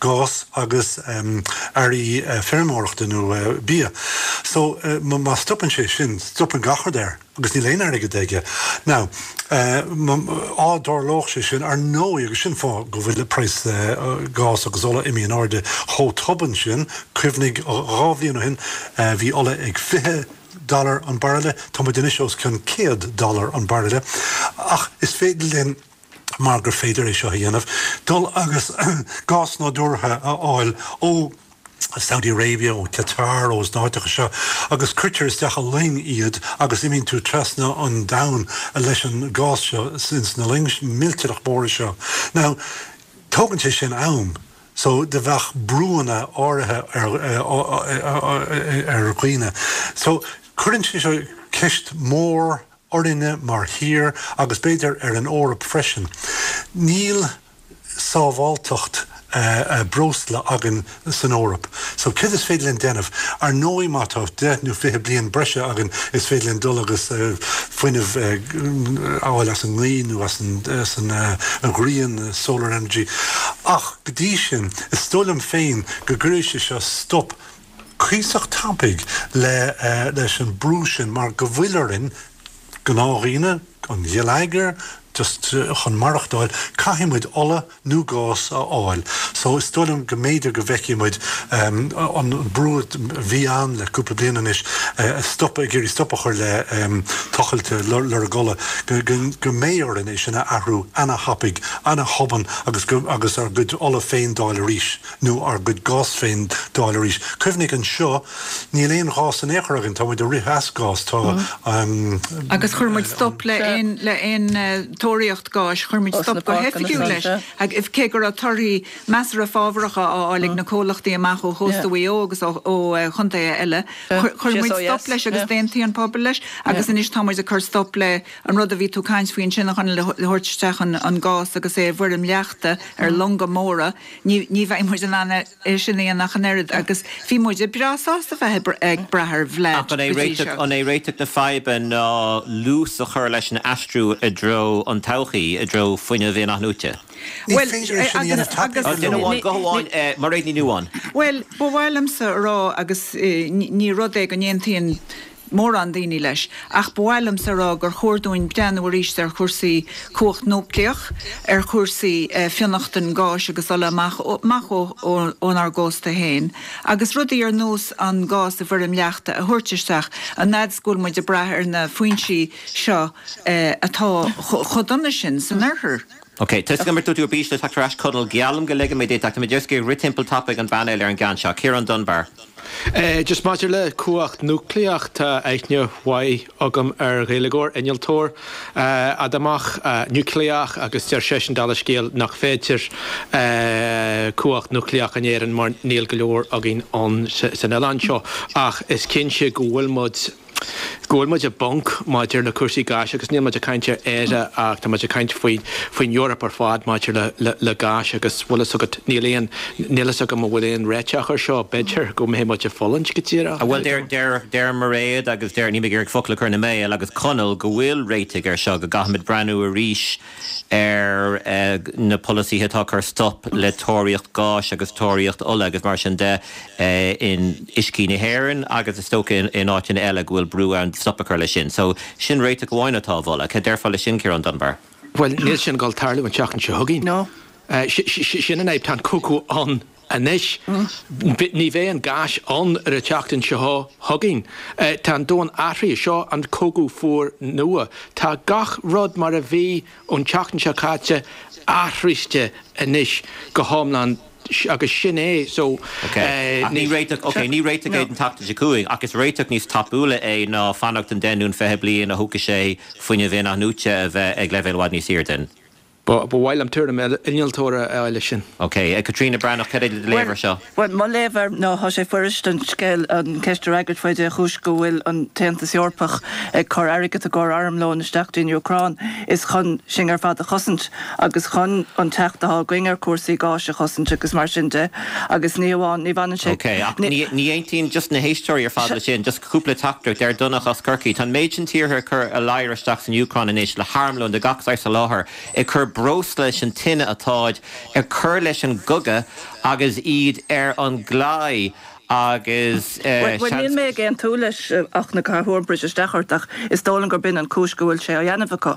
gás agus earraí feirmeoireachta nó bia. So má stopann sé sin, stopann gach rud air. agus níl aon airgead aige. Now, á dtarlódh sé sin, ar ndóigh, agus sin fáth go bhfuil praghas gás agus ola imithe in airde chomh tobann sin, cuimhnigh, dhá bhliain ó shin bhí ola ag fiche dollar an bairille, tá muid anois os cionn céad dollar an bairille, ach is féidir linn, mar gur féidir é seo a dhéanamh, dul agus gás nádúrtha a fháil ó Saudi Arabia, ó Qatar, ó na háiteacha seo, agus cuirtear isteach i loing iad agus imíonn tú trasna an domhain leis an gás seo ins na loing millteanach móra seo. Now, tógann sé sin am, so do bheadh brúanna áirithe ar ar dhaoine. So, cuireann sé seo ceist mhór orainne mar thír agus b'fhéidir ar an Eoraip freisin. Níl sábháilteacht breosla againn san Eoraip. So céard is féidir linn déanamh? Ar ndóigh má tá deich nó fiche bliain breise againn is féidir linn dul agus fuinneamh a fháil as an ngaoth nó as an ghrian, solar energy. Ach go dtí sin, is dóigh liom féin go gcuirfidh sé seo stop cuíosach tapaidh leis an brú sin mar go bhfuil orainn, gnáthdhaoine, an gheilleagar, just chun maireachtáil, caithfidh muid ola nó gás a fháil. So is dóigh liom go mb'fhéidir go bhfeicfidh muid an brú a bhí ann le cúpla bliain anois stop, ag iarraidh stop a chur le tochailt lorg ola, go mbeidh orainn é sin a athrú ana-thapaidh, ana-thobann agus agus ár gcuid ola féin d'fháil arís nó ár gcuid gás féin d'fháil arís. Cuimhnigh anseo, Níl aon ghás in aon chor againn, tá muid ag rith as gás, tá. Agus chuir muid stop le aon le aon tóraíocht gáis, chuir muid stop go hoifigiúil leis, cé go raibh torthaí measartha fábhracha á fháil ag na comhlachtaí amach ó chósta Mhaigh Eo agus ó chontaetha eile. Chuir muid stop leis agus d'aontaigh an pobal leis agus anois tá muid ag cur stop le an rud a bhí tú ag caint faoi ansin a Chonaill, le thabhairt isteach an gás agus é i bhfoirm leachta ar longa móra. Ní bheidh muid in ann é sin a dhéanamh ach an oiread agus bhí muid breá sásta bheith ag brath ar Vlad Ach an é go dtí seo. An é réiteach na faidhbe ná luas a chur leis an aistriú i dtreo an todhchaí, i dtreo fuinneamh in-athnuaite? Ní féidir é sin a dhéanamh tapaidh go Duine leor. amháin, guth amháin, Mairéad Ní Nuadháin. Bhuel, ba mhaith liomsa a rá, agus ní rud é go n-aontaíonn mórán daoine leis, ach ba mhaith liomsa a rá gur chóir dúinn breathnú arís ar chúrsaí cumhacht núicléach, ar chúrsaí fionnachtain gáis agus ola amach amach ónár gcósta féin, agus rudaí ar nós an gás i bhfoirm leachta a thabhairt isteach, an fhad is go bhfuil muid ag brath ar na foinsí seo atá chomh dona sin san oirthear. Ok, tá 'fhios agam ar tú ar bís le teacht ar ais Conall, geallaim go ligfidh mé duit ach tá mé just ag rith timpeall tapaidh an bpainéil ar an gceann seo. Ciarán Dunbar. Just maidir le cumhacht núicléach, tá aithne mhaith agam ar Ghaeilgeoir, innealtóir adamhach, núicléach agus deir seisean dála scéil nach féidir cumhacht núicléach in Éirinn mar níl go leor againn ann san oileán seo ach is cinnte go bhfuil muid Go bhfuil muid i bponc maidir le cúrsaí gáis agus níl muid ag caint ar Éire ach tá muid ag caint faoi faoin Eoraip ar fad maidir le le le gás agus bhfuil fhios agat níl aon níl fhios agam an bhfuil aon réiteach ar seo b'fhéidir go mbeidh muid ag fulaingt go díreach. Bhuel deir deir deir Mairéad agus deir níl mé ag iarraidh focal a chur ina mbéal agus Conall go bhfuil réitigh ar seo go gcaithfimid breathnú arís ar na polasaithe atá ag cur stop le tóraíocht gáis agus tóraíocht ola agus mar sin de in uiscí na hÉireann agus is dócha in áiteanna eile go bhfuil brú ann stop a chur leis sin. So sin réiteach amháin atá á mholadh. Cad déarfá leis sin, Ciarán Dunbar? Bhuel, níl sin ag dul tarlú an tseachtain seo chugainn. No. Sin an fhadhb, tá an cogadh ann anois. Ní bheidh an gás ann ar an tseachtain seo chugainn. Tá an domhan athraithe. Seo an cogadh fuar nua. Tá gach rud mar a bhí ón tseachtain seo caite athraithe anois go hiomlán agus sin é. So, Ok. Ach ní réiteach, ok, ní réiteach é don tseachtain seo chugainn, ach is réiteach níos tapúla é ná fanacht an deich nó an fiche bliain a thógfaidh sé fuinneamh in-athnuaite a bheith ag leibhéal i bhfad níos airde. Ba mhaith liom tuairim innealtóra a fháil leis sin. Ok. Caitríona Breathnach, cad é do léamh ar seo? Bhuel, mo léamh air ná tá sé fuirist an scéal, an ceist a fhreagairt faoi dé chúis go bhfuil an tAontas Eorpach ag cur airgead i gcomhair armlóin isteach dtí'n Úcráin is chun sinn ar fad a chosaint agus chun an teacht atá againn ar chúrsaí gáis a chosaint agus mar sin de agus ní amháin, ní bhaineann sé, Ok, ach ní ní aontaíonn just na héisteoirí ar fad leis sin, just cúpla teachtaireacht, deir Donncha as Corcaigh, tá an méid sin tíortha ag cur a ladhar isteach san Úcráin anois le harmlón de gach saghas a sholáthar, ag cur breosla leis an tine atáid ag cur leis an gcogadh agus iad ar an gclaí agus Bhuel, níl seans. mé ag aontú leis ach na caithfear briseadh isteach ort ach is dóigh liom gurb in an cúis go bhfuil sé á dhéanamh acu,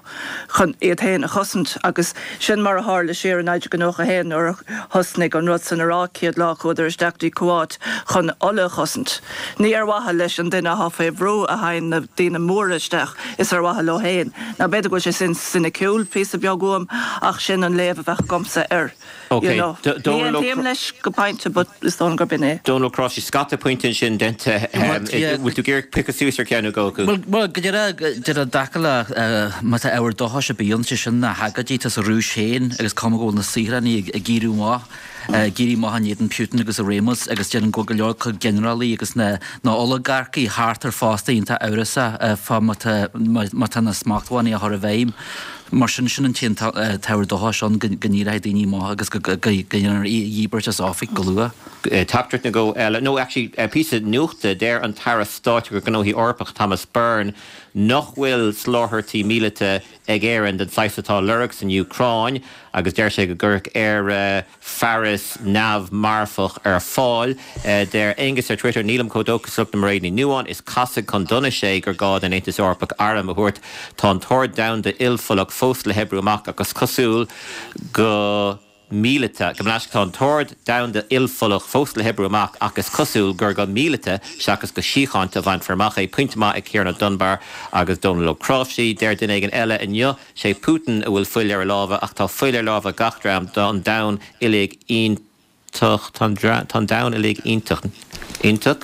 chun iad féin a chosaint agus sin mar a tharla siar i naoi déag nócha a haon nuair a thosnaigh an rud san Iaráic chéad lá chuadar isteach dtí Kuwait chun ola a chosaint. Ní ar mhaithe leis an duine athá fé bhrú a théann na daoine móra isteach, is ar mhaithe leo féin. Now b'fhéidir go bhfuil sé sin soiniciúil píosa beag uaim ach sin an léamh a bheadh agamsa air, you Ok, know. Ní Dónal Ó aontaím leis go pointe but is dóigh liom gurb in é. Dónal Ó Cnáimhsí, scata pointe ansin déanta. Bhfuil tú ag iarraidh piocadh suas ar cheann nó dhó acu? Bhuel, bhuel, go díreach, díreach i dtaca le má tá ábhar dóchais ar bith ann, sé sin na hagóidí atá sa Rúis féin agus cuma go bhfuil na saothránaigh ag éirí amach. ag éirí amach in éadan Putin agus a réimeas agus déarfainn go bhfuil go leor acu ginearálaí agus na na olagarcaí thart ar fosta iontach amhrasach fá má tá má tá na smachtbhannaí á chur i bhfeidhm. Mar sin, sin an t-aon t-ábhar dóchais ann go go n-éireoidh daoine amach agus go go go ndéanfar í a dhíbirt as oifig go luath. Teachtaireacht nó dhó eile, nó actually píosa nuachta, deir an tAire Stáit do Ghnóthaí Eorpacha Thomas Byrne nach bhfuil soláthairtí míleata ag Éirinn den saghas atá á lorg san Úcráin agus deir sé go gcuirfeadh Éire fearas neamh-mharfach ar fáil. Deir Aengus ar Twitter, Nílim chomh dóchasach le Mairéad Ní Nuadháin, is casadh chun donais é gur gá don Aontas Eorpach airm a thabhairt. Tá an t-ord domhanda ilpholach fós le hoibriú amach ach is cosúil go míleata, gabh mo leithscéal, tá an t-ord domhanda ilpholach fós le hoibriú amach ach is cosúil gur go míleata seachas go síochánta a bhainfear amach é. Pointe maith ag Ciarán Ó Dunbar agus Dónal Ó Cnáimhsí. Deir duine éigin eile inniu, sé Putin a bhfuil fuil ar a lámha ach tá fuil ar lámha gach dream, tá an domhan uilig iontach, tá an domhan uilig iontach, iontach?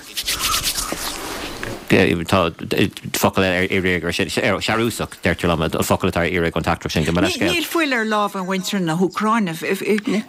Tá focal eile ar iarraidh ar sin, searúsach, deirtear liom, an focal atá ar iarraidh ón teachtaireacht sin, gabh mo leithscéal. Níl fuil ar lámha mhuintir na hÚcráine.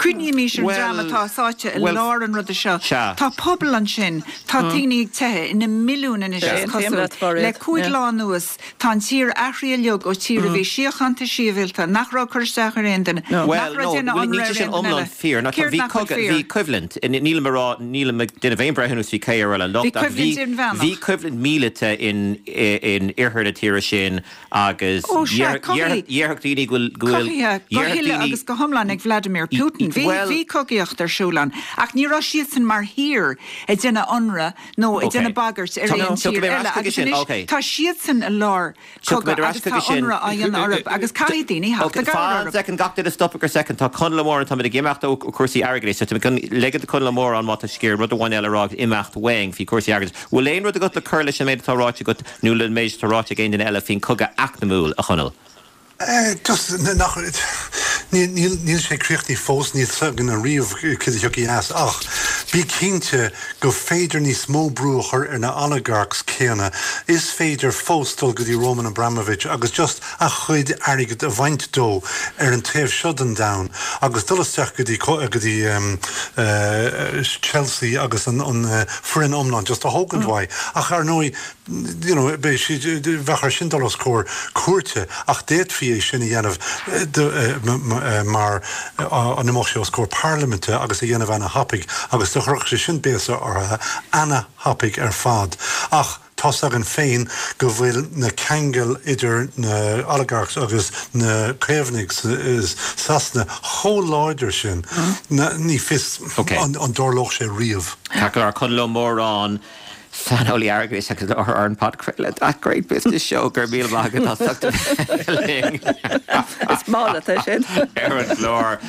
Cuimhnímís ar an dream atá sáite i lár an ruda seo. Tá pobal ansin, tá daoine ag teitheadh ina milliúin anois is cosúil. Le cúig lá anuas, tá an tír athraithe uilig ó tír a bhí síochánta sibhialta, nach raibh ag cur isteach ar aon duine, nach raibh ag déanamh ionradh ar aon duine eile. Céard nach bhfuil fíor? Bhí coimhlint, nílim ag rá, nílim ag déanamh aon breithiúnas faoi cé a raibh an locht, Bhí coimhlint inmheánach. Bhí coimhlint míleata in in oirthear na tíre sin agus Ó sea, cogaí, dhéarfadh daoine go bhfuil, go bhfuil, cothaithe go dhéarfadh huile daoine, agus go hiomlán ag Vladimir Putin. Bhí, bhuel, bhí cogaíocht ar siúl ann, ach ní raibh siadsan mar thír ag déanamh ionradh nó ag ok. déanamh bagairt ar aon Tiocfaidh tír mé ar eile ais chuige agus sin, anois ok. tá siadsan i lár Tiocfaidh mé cogadh ar ais agus chuige tá sin. ionradh á dhéanamh orthu agus caithfidh daoine theacht Ok, i gcabhair fan orthu. soicind, gach duine stopadh ar soicind. Tá Conall Ó Móráin, táimid ag imeacht ó chúrsaí airgeadais, so táimid chun ligean do Chonall Ó Móráin má tá sé ag iarraidh rud amháin eile a rá agus imeacht uainn faoi chúrsaí airgeadais. Bhfuil aon rud agat le cur leis an méid atá ráite agat nó le méid atá ráite ag aon duine eile faoin cogadh eacnamúil, a Chonaill? Just nach, níl, níl sé críochnaithe fós, níl fhios againn ariamh cad a thiocfaidh as ach Bí cinnte go féidir níos mó brú a chur ar na oligarchs céanna. Is féidir fós dul go dtí Roman Abramovich agus just a chuid airgid a bhaint dó ar an taobh seo den domhan agus dul isteach go dtí go dtí um, uh, Chelsea agus an, an uh, foireann iomlán just a thógaint uaidh. Ach ar ndóigh you know, beidh sí bheadh air sin dul os comhair cúirte ach d'fhéadfaí é sin a dhéanamh mar an imeodh sé os comhair parlaiminte agus a dhéanamh ana-thapaidh agus do chuirfeadh sé sin béasa orthu ana-thapaidh ar fad. Ach tá's againn féin go bhfuil na ceangail idir na oligarchs agus na Caomhnaigh Sasana chomh láidir sin ní fios an dtarlódh sé riamh. Ceart go leor Conall Ó Móráin, saineolaí airgeadais agus láithreoir ar an podchraoladh That Great Business Show go raibh míle maith agat as ucht a bheith linn. Is maith leat é sin. Ar an gclár.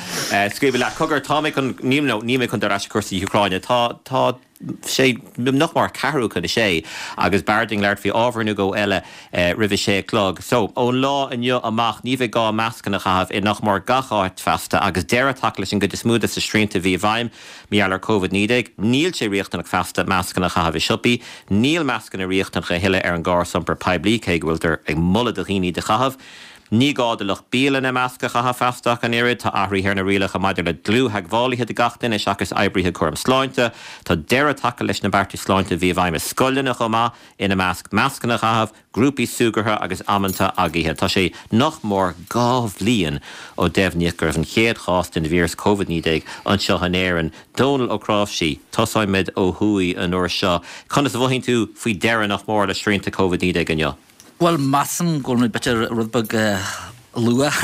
Scríobh leat cogar tá mé chun níl nó níl mé chun dul ar ais cúrsaí Úcráine. Tá tá sé nach mór ceathrú chun a sé agus b'fhearr dúinn labhairt faoi ábhar nó dhó eile roimh a sé a chlog. So, ón lá inniu amach ní bheidh gá mascanna a chaitheamh i nach mór gach áit feasta agus deireadh tagtha leis an gcuid is mó de na srianta a bhí i bhfeidhm mar gheall ar Covid naoi déag. Níl sé riachtanach feasta mascanna a chaitheamh i siopaí. Níl mascanna riachtanach a thuilleadh ar an gcarr iompair poiblí cé go bhfuiltear ag moladh do dhaoine iad a chaitheamh. Ní gá do lucht bialainne masc a chaitheamh feasta ach an oiread. Tá athruithe ar na rialacha maidir le dlúth-theagmhálaithe do gach duine seachas oibrithe cúram sláinte. Tá deireadh tagtha leis na beartais sláinte a bhí i bhfeidhm i scoileanna chomh maith, ina measc mascanna a chaitheamh, grúpaí súgartha agus amanta agaithe. Tá sé nach mór dhá bhliain ó deimhníodh go raibh an chéad chás den víreas Covid naoi déag anseo in Éirinn. Dónal Ó Cnáimhsí, tosóimid ó thuaidh an uair seo. Conas a mhothaíonn tú faoi dheireadh nach mór le srianta Covid naoi déag inniu? Bhuel, measaim go bhfuil muid b'fhéidir rud beag luath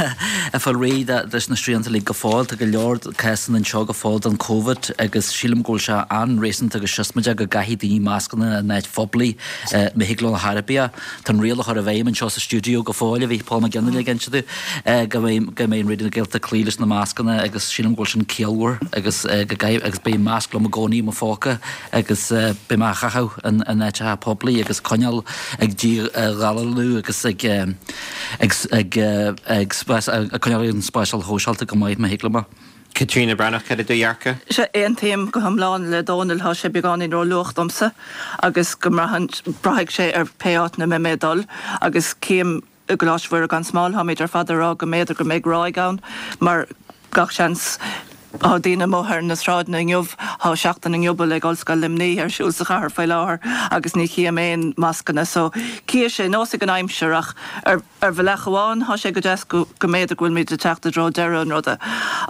ag fáil réidh leis na srianta uilig go fóill. Tá go leor cásanna anseo go fóill den Covid agus sílim go bhfuil sé an-réasúnta agus siosmaideach go gcaithfidh daoine mascanna in áit phoiblí má thig leo ar chor ar bith. Tá an riail á chur i bhfeidhm anseo sa stiúideo go fóill, a bhí Paul Mac Fhionnghaile ag inse domh, go mbeidh go mbeidh an Raidió na Gaeltachta ag cloí leis na mascanna agus sílim go bhfuil sin ciallmhar agus go gcaithfidh agus beidh masc liom i gcónaí i mo phóca agus beidh mé á chaitheamh in áiteacha poiblí agus coinneáil ag díghalarú agus ag ag ag ag ag coinneáil an spásáil shóisialta go maith má thig liom é. Caitríona Breathnach, cad é do dhearcadh? Sea, aontaím go hiomlán le Dónal, tá sé beagáinín ró-luath domsa agus go mbraitheann, braithfidh sé ar pé áit ina mbeidh mé ag dul agus cím i gColáiste Mhuire gan Smál, táimid ar fad ag rá go mb'fhéidir go mbeidh ráig ann mar gach seans tá daoine amuigh ar na sráideanna inniu, tá Seachtain na nGiobal ag Ollscoil Luimnigh ar siúl sa chathair faoi láthair agus ní chím aon mascanna so cífidh sé, neosfaidh an aimsir ach ar ar bhealach amháin tá sé go deas go go mb'fhéidir go bhfuilimid ag teacht i dtreo deireadh an ruda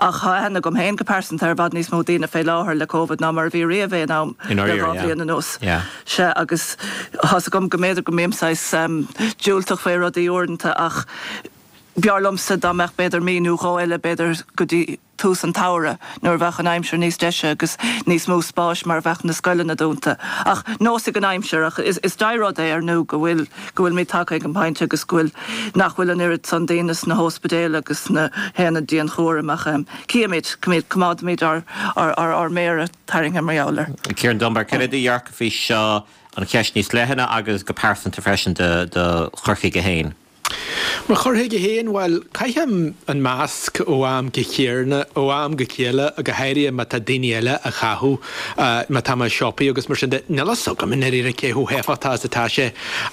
ach tá aithne agam féin go pearsanta ar i bhfad níos mó daoine fé láthair le Covid ná mar a bhí riamh aon am le dhá bhliain anuas. Sea agus tá's agam go mb'fhéidir go mbím saghas diúltach fé rudaí uaireanta ach b'fhearr liomsa dá mbeadh b'fhéidir mí nó dhó eile b'fhéidir go dtí tús an tsamhraidh nuair a bheadh an aimsir níos deise agus níos mó spáis mar bheadh na scoileanna dúnta. Ach neosfaidh an aimsir ach is is dea-rud é ar ndú go bhfuil go bhfuilimid tagtha ag an bpointe agus go bhfuil nach bhfuil an oiread san daoine sna hóspidéil agus sna haonaid dianchúraim ach cífimid, coimeádfaimid ár ár ár méara tarraingthe mar gheall air. Ciarán Dunbar, cad é do dhearcadh faoi seo, an cheist níos leithne agus go pearsanta freisin do do chur chuige féin? Mo chur chuige féin, bhuel, caithim an masc ó am go chéile, ó am go chéile, go háirithe má tá daoine eile á chaitheamh, má tá mé i siopaí agus mar sin de. Níl a fhios agam i ndáiríre cé chomh héifeachtach is atá sé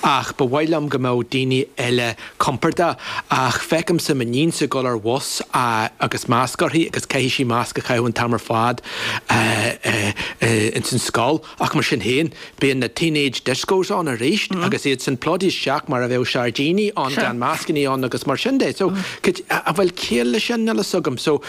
ach ba mhaith liom go mbeadh daoine eile compordach. Ach feicimse m'iníonsa ag dul ar bhus agus masc uirthi agus caithfidh sí masc a chaitheamh an t-am ar fad ins an scoil. Ach mar sin féin, bíonn na teenage discos ann arís agus iad san plódaithe isteach mar a bheadh sairdíní ann gan mascannaí ann agus mar sin de. So, an bhfuil ciall leis sin? Níl a fhios agam. So,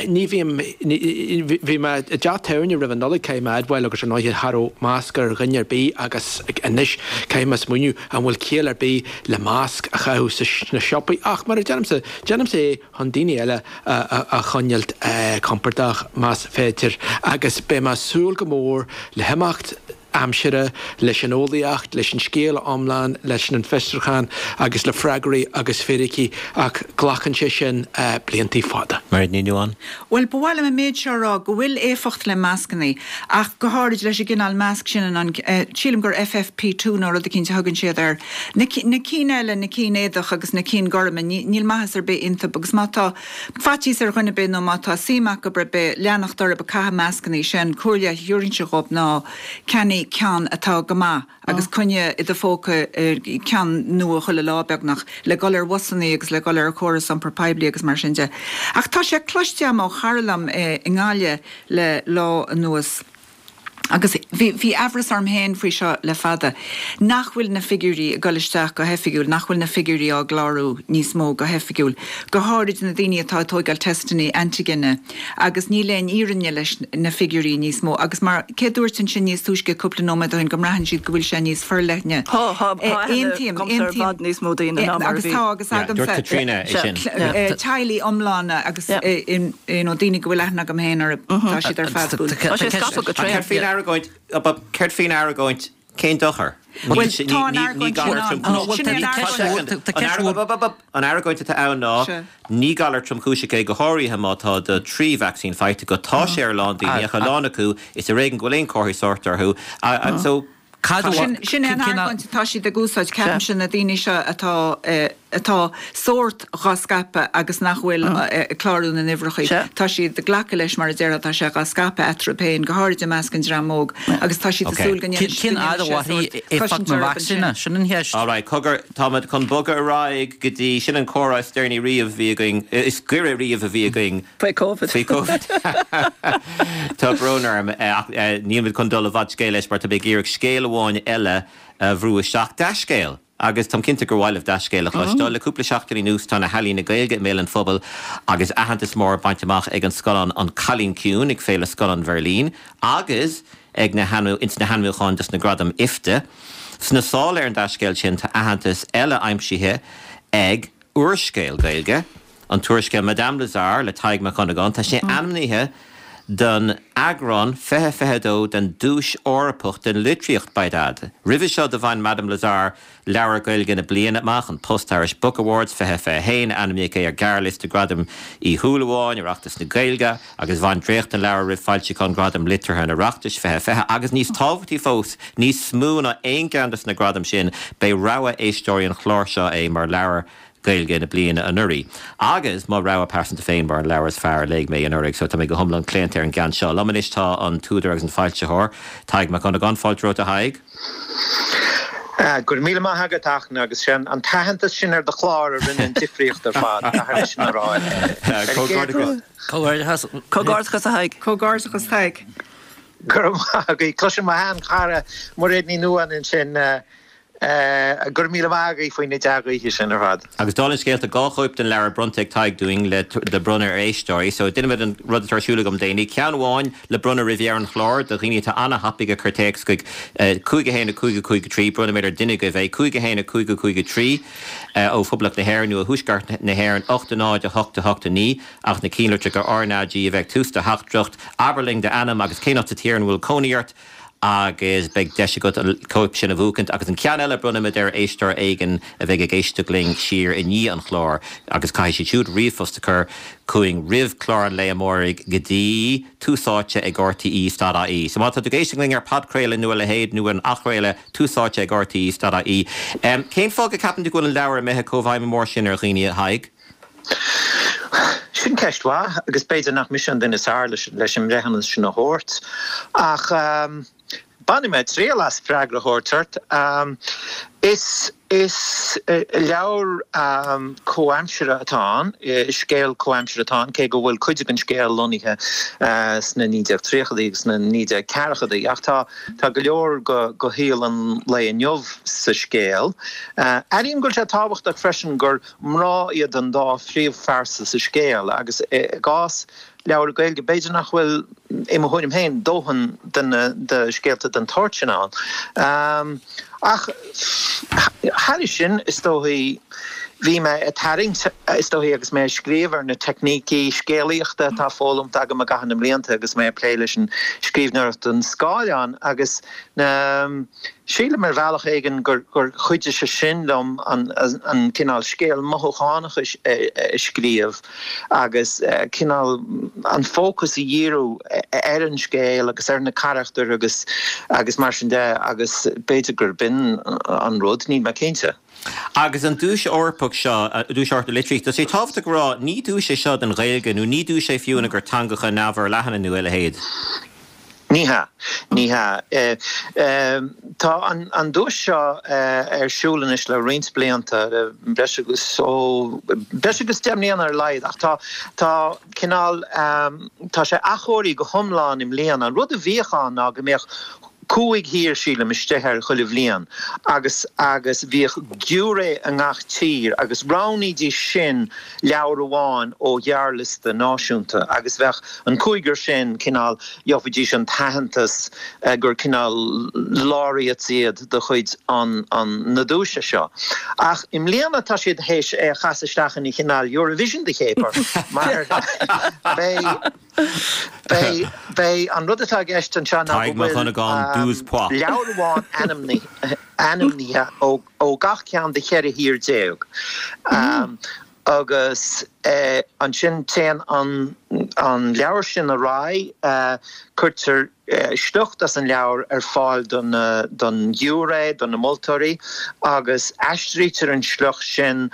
ní bhím, bhí mé i dteach tábhairne roimh an Nollaig, caithfidh mé a admháil, agus ar ndóighe cha raibh masc ar dhuine ar bith agus anois caithfidh mé smaoineamh an bhfuil ciall ar bith le masc a chaitheamh sna siopaí. Ach mar a deirimse, déanaimse é chun daoine eile a choinneáilt compordach más féidir agus beidh mé ag súil go mór le himeacht aimsire, leis an eolaíocht, leis an scéal iomlán, leis an bhfiosrúchán agus le freagraí agus fíricí, ach glacann sé sin bliantaí fada. Mairéad Ní Nuadháin. Bhuel, ba mhaith liom an méid seo a rá, go bhfuil éifeacht le mascannaí, ach go háirid leis an gcineál masc sin, an, sílim gur FFP two nó rud eicínt a thugann siad air. Na cinn eile, na cinn éadach agus na cinn gorma, níl maitheas ar bith iontu agus má tá faitíos ar dhuine ar bith nó má tá suim acu ar bith leanacht orthu ag caitheamh mascannaí, sé an comhairle a thabharfainnse dhóibh ná ceannaigh ceann atá go maith agus coinnigh i do phóca ceann nua chuile lá beagnach, le dhul ar bhusannaí agus le dhul ar chóras iompair poiblí agus mar sin de. Ach tá sé cloiste agam ó chara liom i nGaillimh le lá anuas, agus bhí bhí aimhreas orm féin faoi seo le fada, nach bhfuil na figiúirí ag dul isteach go hoifigiúil, nach bhfuil na figiúirí á gclárú níos mó go hoifigiúil, go háirid na daoine atá ag tóigeáil teisteanna antigine agus níl aon fhírinne leis na figiúirí níos mó agus mar cé dúirt ansin níos túisce cúpla nóiméad ó shin go mbraitheann siad go bhfuil sé níos forleithne. Tá, tá, tá aithne Aontaím, agamsa ar aontaím. bhfad níos mó daoine ná mar a Agus bhí. tá agus Yeah, dúirt agamsa Caitríona é sin. teaghlaigh iomlána agus you know, daoine go bhfuil aithne agam féin orthu, tá siad ar fad buailte. Tá sé scaipthe go tréan. Céard faoin argóint, céard faoin argóint, cén dochar? Bhuel, tá an argóint sin ann. Sin é an argóint. Tá ceist mhór. An argóint atá ann ná ní galar tromchúiseach é go háirithe má tá do trí vacsaín faighte agat. Tá sé ar a lán daoine, ach a lán acu is ar éigean go bhfuil aon chomharthaí sóirt orthu. So, Cad a Sin sin é an cén argóint atá siad ag úsáid, ceapaimse, na daoine seo atá atá sórt dhá scaipeadh agus nach bhfuil ag clárú na n-uimhreacha. Tá siad ag glacadh leis, mar a déarfá, tá sé dhá scaipeadh eatarthu féin, go háirid i measc an dream óg, agus tá siad ag súil go ndéanfaidh Cén fhad a sé mhairfidh sórt éifeacht cosaint na orthu vacsaíne? ansin. Sin an cheist. All right, cogar, táimid chun bogadh ar aghaidh go dtí, sin an comhrá is deireanaí riamh a bhí againn, is gaire riamh a bhí againn. Faoi Covid. Faoi Covid. Tá brón orm, ach nílimid chun dul i bhfad scéil leis mar tá mé ag iarraidh scéal amháin eile a bhrú isteach. Dea-scéal! Agus táim cinnte gur mhaith libh dea-scéal a chloisteáil. Le cúpla seachtain anuas tá na healaíona Gaeilge i mbéal an phobail agus aitheantas mór bainte amach ag an scannán An Cailín Ciúin ag Féile Scannán Bheirlín agus ag na ins na hainmniúcháin dos na Gradaim IFTA. Sna sála ar an dea-scéal sin tá aitheantas eile aimsithe ag úrscéal Gaeilge, an t-úrscéal Madame Lazare le Tadhg Mac Dhonnagáin. Tá sé ainmnithe don eagrán fiche fiche a dó den Duais Eorpach don Litríocht, by dad. Roimhe seo do bhain Madame Lazare Leabhar Gaeilge na Bliana amach, an Post Irish Book Awards fiche fiche a haon, ainmníodh é ar ghearrliosta Gradaim Uí Shúilleabháin, Oireachtas na Gaeilge, agus bhain dréacht den leabhar roimh foilseachán Ghradaim Liteartha an Oireachtais fiche fiche. Agus níos tábhachtaí fós, níos mó ná aon cheann de na gradaim sin, b'é rogha éisteoirí an chláir seo é mar leabhar Gaeilge na bliana anuraidh. Agus mo rogha pearsanta féin mar an leabhar is fearr a léigh mé anuraidh, so tá mé go hiomlán claonta ar an gceann seo. Liom anois tá an t-údar agus an foilsitheoir, Tadhg Mac Dhonnagáin. Fáilte romhat, a Thaidhg. Go raibh míle maith agat, a Fhachtna, agus sé an t-aitheantas sin ar do chlár a rinne an difríocht ar fad, caithfidh mé sin a rá. Comhghairdeachas. Comhghairdeachas. Comhghairdeachas, a Thaidhg. Comhghairdeachas, Tadhg. Go raibh maith agaibh. Cloisim mo shean-chara Mairéad Ní Nuadháin ansin. Go raibh míle maith agaibh faoi na dea-ghuíthe sin ar fad. Agus dála an scéil, tá dhá chóip den leabhar bronnta ag Tadhg dúinn le le bronnadh ar éisteoirí. So déanfaimid an rud atá ar siúl agam déanaí. Ceann amháin le bronnadh roimh dheireadh an chláir do dhaoine atá ana-thapaidh ag cur téacs chuig cúig a haon a cúig a cúig a trí. Bronnfaimid ar duine agaibh é. Cúig a haon a cúig a cúig a trí ó Phoblacht na hÉireann nó ó Thuaisceart na hÉireann ocht a náid a hocht a hocht a naoi ach na cinnlitreacha RnaG a bheith ag tús do theachtaireacht. Abair linn d'ainm agus cén áit sa tír ina bhfuil cónaí ort. agus beidh deis agat an cóip sin a bhuachaint. Agus an ceann eile, bronnfaimid ar éisteoir éigin a bheidh ag éisteacht linn siar i ndiaidh an chláir agus caithfidh siad siúd ríomhphost a chur chugainn roimh chlár an lae amáirigh go dtí tús áite ag rte dot ie. So má tá tú ag éisteacht linn ar podchraoladh nó a leithéid nó an athchraoladh, tús áite ag rte dot ie. Cén fáth go gceapann tú go bhfuil an leabhar imithe chomh bhfeidhm mór sin ar dhaoine, a Thaidhg? Sin ceist mhaith agus b'fhéidir nach mise an duine is fearr leis an mbreithiúnas sin a thabhairt ach bainfidh mé triail as freagra a thabhairt ort. Is is leabhar comhaimseartha atá ann, scéal comhaimseartha atá ann, cé go bhfuil cuid den scéal lonnaithe sna naoi déag tríochaidí agus sna naoi déag ceathrachaidí ach tá tá go leor de shaol an lae inniu sa scéal. Airím go bhfuil sé tábhachtach freisin gur Mná iad an dá phríomhphearsa sa scéal agus i gcás leabhar Gaeilge b'fhéidir nach bhfuil, i mo thuairim féin, dóthain de na de scéalta den tsórt sin ann. Ach thairis sin, is dóichí, Bhí mé ag tarraingt, is dóichí, agus mé ag scríobh ar na teicnící scéalaíochta atá foghlamtha agam i gcaitheamh na mblianta agus mé ag plé leis an scríbhneoireacht don scáileán agus na, sílim ar bhealach éigin gur gur chuidigh sé sin liom an an cineál scéal mothúchánach a scríobh agus cineál an fócas a dhíriú ar an scéal agus ar na carachtair agus agus mar sin de agus b'fhéidir gurb in an rud, níl mé cinnte. Agus an duais Eorpach seo, Duais Eorpach na Litríochta, tá sé tábhachtach a rá, ní duais é seo don Ghaeilge nó ní duais é fiú do theangacha neamhfhorleathana nó a leithéid. Ní hea. Ní hea. Tá an duais seo ar siúl anois le roinnt blianta, le breis agus, ó, breis agus deich mbliana ar a laghad, ach tá, tá cineál, tá sé athchóirithe go hiomlán i mbliana. An rud a bhíodh ann ná go mbeadh cúig thír, sílim, istigh air chuile bhliain agus agus bhíodh giúiré i ngach tír agus roghnaídís sin leabhar amháin ó ghearrliosta náisiúnta agus bheadh an cúigear sin cineál, gheobhaidís an t-aitheantas gur cineál laureates iad de chuid an an na duaise seo. Ach i mbliana tá siad théis é a chasadh isteach ina chineál Eurovision de chéapar mar beidh Beidh, beidh, an rud atá i gceist anseo ná go bhfuil leabhar amháin ainmnithe ó gach ceann de cheithre thír déag agus ansin téann an leabhar sin ar aghaidh, cuirtear sliocht as an leabhar ar fáil don ghiúiré, do na moltóirí, agus aistrítear an sliocht sin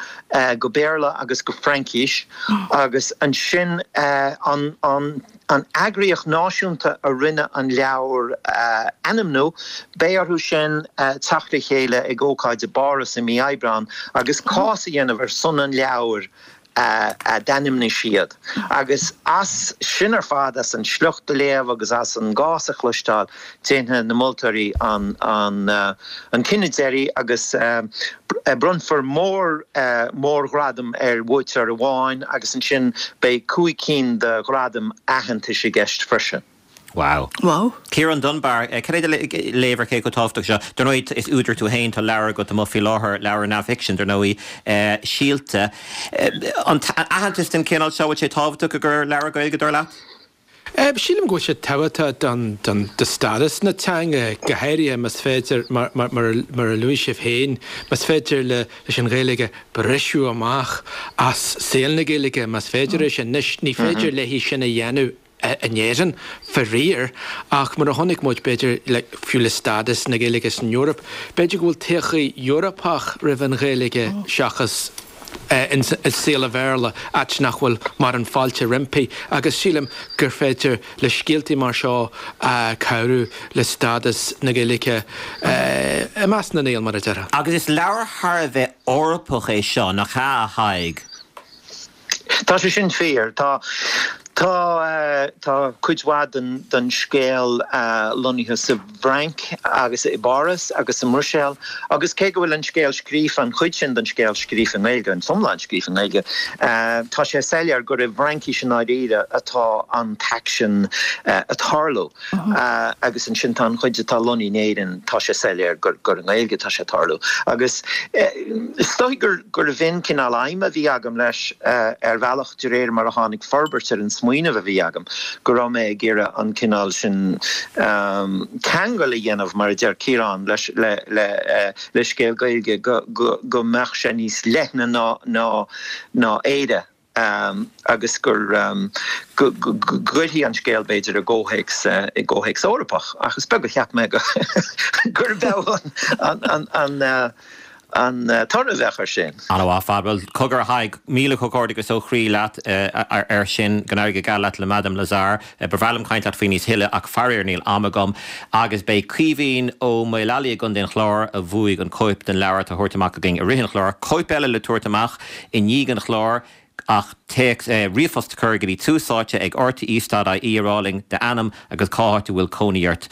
go Béarla agus go Fraincis agus ansin an eagraíocht náisiúnta a rinne an leabhar a ainmniú, beidh orthu sin teacht le chéile ag ócáid i bPáras i mí Aibreáin agus cás a dhéanamh ar son an leabhair. a d'ainmnigh siad. Agus as sin ar fad, as an sliocht a léamh agus as an gcás a chloisteáil, déanfaidh na moltóirí an cinneadh deiridh agus bronnfar mórghradam ar bhuaiteoir amháin agus ansin beidh cúig cinn de ghradaim aitheantais i gceist freisin. Wow. Wow. Ciarán Dunbar, cad é do léamh ar cé chomh tábhachtach seo? Dar ndóigh, is údar tú féin, tá leabhar agat amuigh faoi láthair, leabhar neamhfhicsin, dar ndóigh, Síolta. An aitheantas den chineál seo, bhfuil sé tábhachtach i gcomhair leabhar Gaeilge, dar leat? Sílim go bhfuil sé tábhachtach don do stádas na teanga, go háirithe más féidir, mar a luaigh sibh féin, más féidir leis an Ghaeilge briseadh amach as saol na Gaeilge, más féidir é sin. Anois, ní féidir léi sin a dhéanamh in Éirinn, faraor, ach mar a chonaic muid, b'fhéidir, fiú le stádas na Gaeilge san Eoraip, b'fhéidir go bhfuil todhchaí Eorpach roimh an Ghaeilge seachas i saol an Bhéarla, áit nach bhfuil mórán fáilte roimpi, agus sílim gur féidir le scéaltaí mar seo cabhrú le stádas na Gaeilge i measc na nGael, mar a déarfá. Agus is leabhar thar a bheith Eorpach é seo, nach ea, a Thaidhg? Tá sé sin fíor. Tá tá tá cuid mhaith den den scéal lonnaithe sa bhFrainc agus i bPáras agus sa mBruiséil agus cé go bhfuil an scéal scríofa, an chuid sin den scéal scríofa i nGaeilge, an t-iomlán scríofa i nGaeilge, tá sé soiléir gur i bhFraincis i ndáiríre atá an t-aicsean ag tarlú. Agus ansin tá an chuid atá lonnaithe in Éirinn, tá sé soiléir gur gur i nGaeilge atá sé ag tarlú. Agus is dóigh gur gurbh in cineál aidhm a bhí agam leis ar bhealach de réir mar a tháinig forbairt ar an smaoineamh a bhí agam, go raibh mé ag iarraidh an cineál sin ceangal a dhéanamh, mar a deir Ciarán, leis le le le scéal Gaeilge go go go mbeadh sé níos leithne ná ná ná Éire. agus gur go gcuirfí an scéal, b'fhéidir, i gcomhthéacs i gcomhthéacs Eorpach. Ach is beag a cheap mé gurb ea an an toradh a bheadh air sin. An-mhaith ar fad. Bhuel, cogar a Thaidhg, míle comhghairdeachas ó chroí leat air sin. Go n-éirí go geal leat le Madame Lazare. Ba bhreá liom caint leat faoi níos thuilleadh ach faraor níl am agam. Agus beidh Caoimhín Ó Maolalaí i gContae an Chláir a bhuaigh an cóip den leabhar atá á thabhairt amach againn i rith an chláir, cóip eile le tabhairt amach i ndiaidh an chláir ach téacs, ríomhphost a chur go dtí tús áite ag rte dot ie a rá linn d'ainm agus cá háit a bhfuil cónaí ort.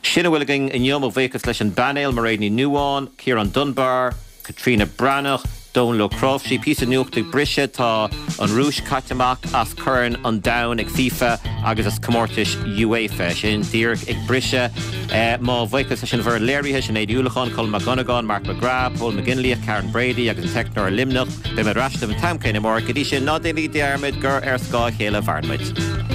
Sin a bhfuil againn inniu. Mo bhuíochas leis an bpainéal, Mairéad Ní Nuadháin, Ciarán Dunbar, Caitríona Breathnach, Dónal Ó Cnáimhsí. Píosa nuachta ag briseadh, tá an Rúis caite amach as Corn an Domhain ag FIFA agus as comórtais UEFA. Sin díreach ag briseadh. Mo bhuíochas leis an bhfoireann léirithe, Sinéad Ní Uallacháin, Colm Mac Dhonnagáin, Mark McGrath, Pól McGinley, Karen Brady agus an teicneoir i Luimneach. Beidh mé ar ais libh an t-am céanna amárach. Go dtí sin, ná déanaigí dearmad gur ar scáth a chéile a mhaireann muid.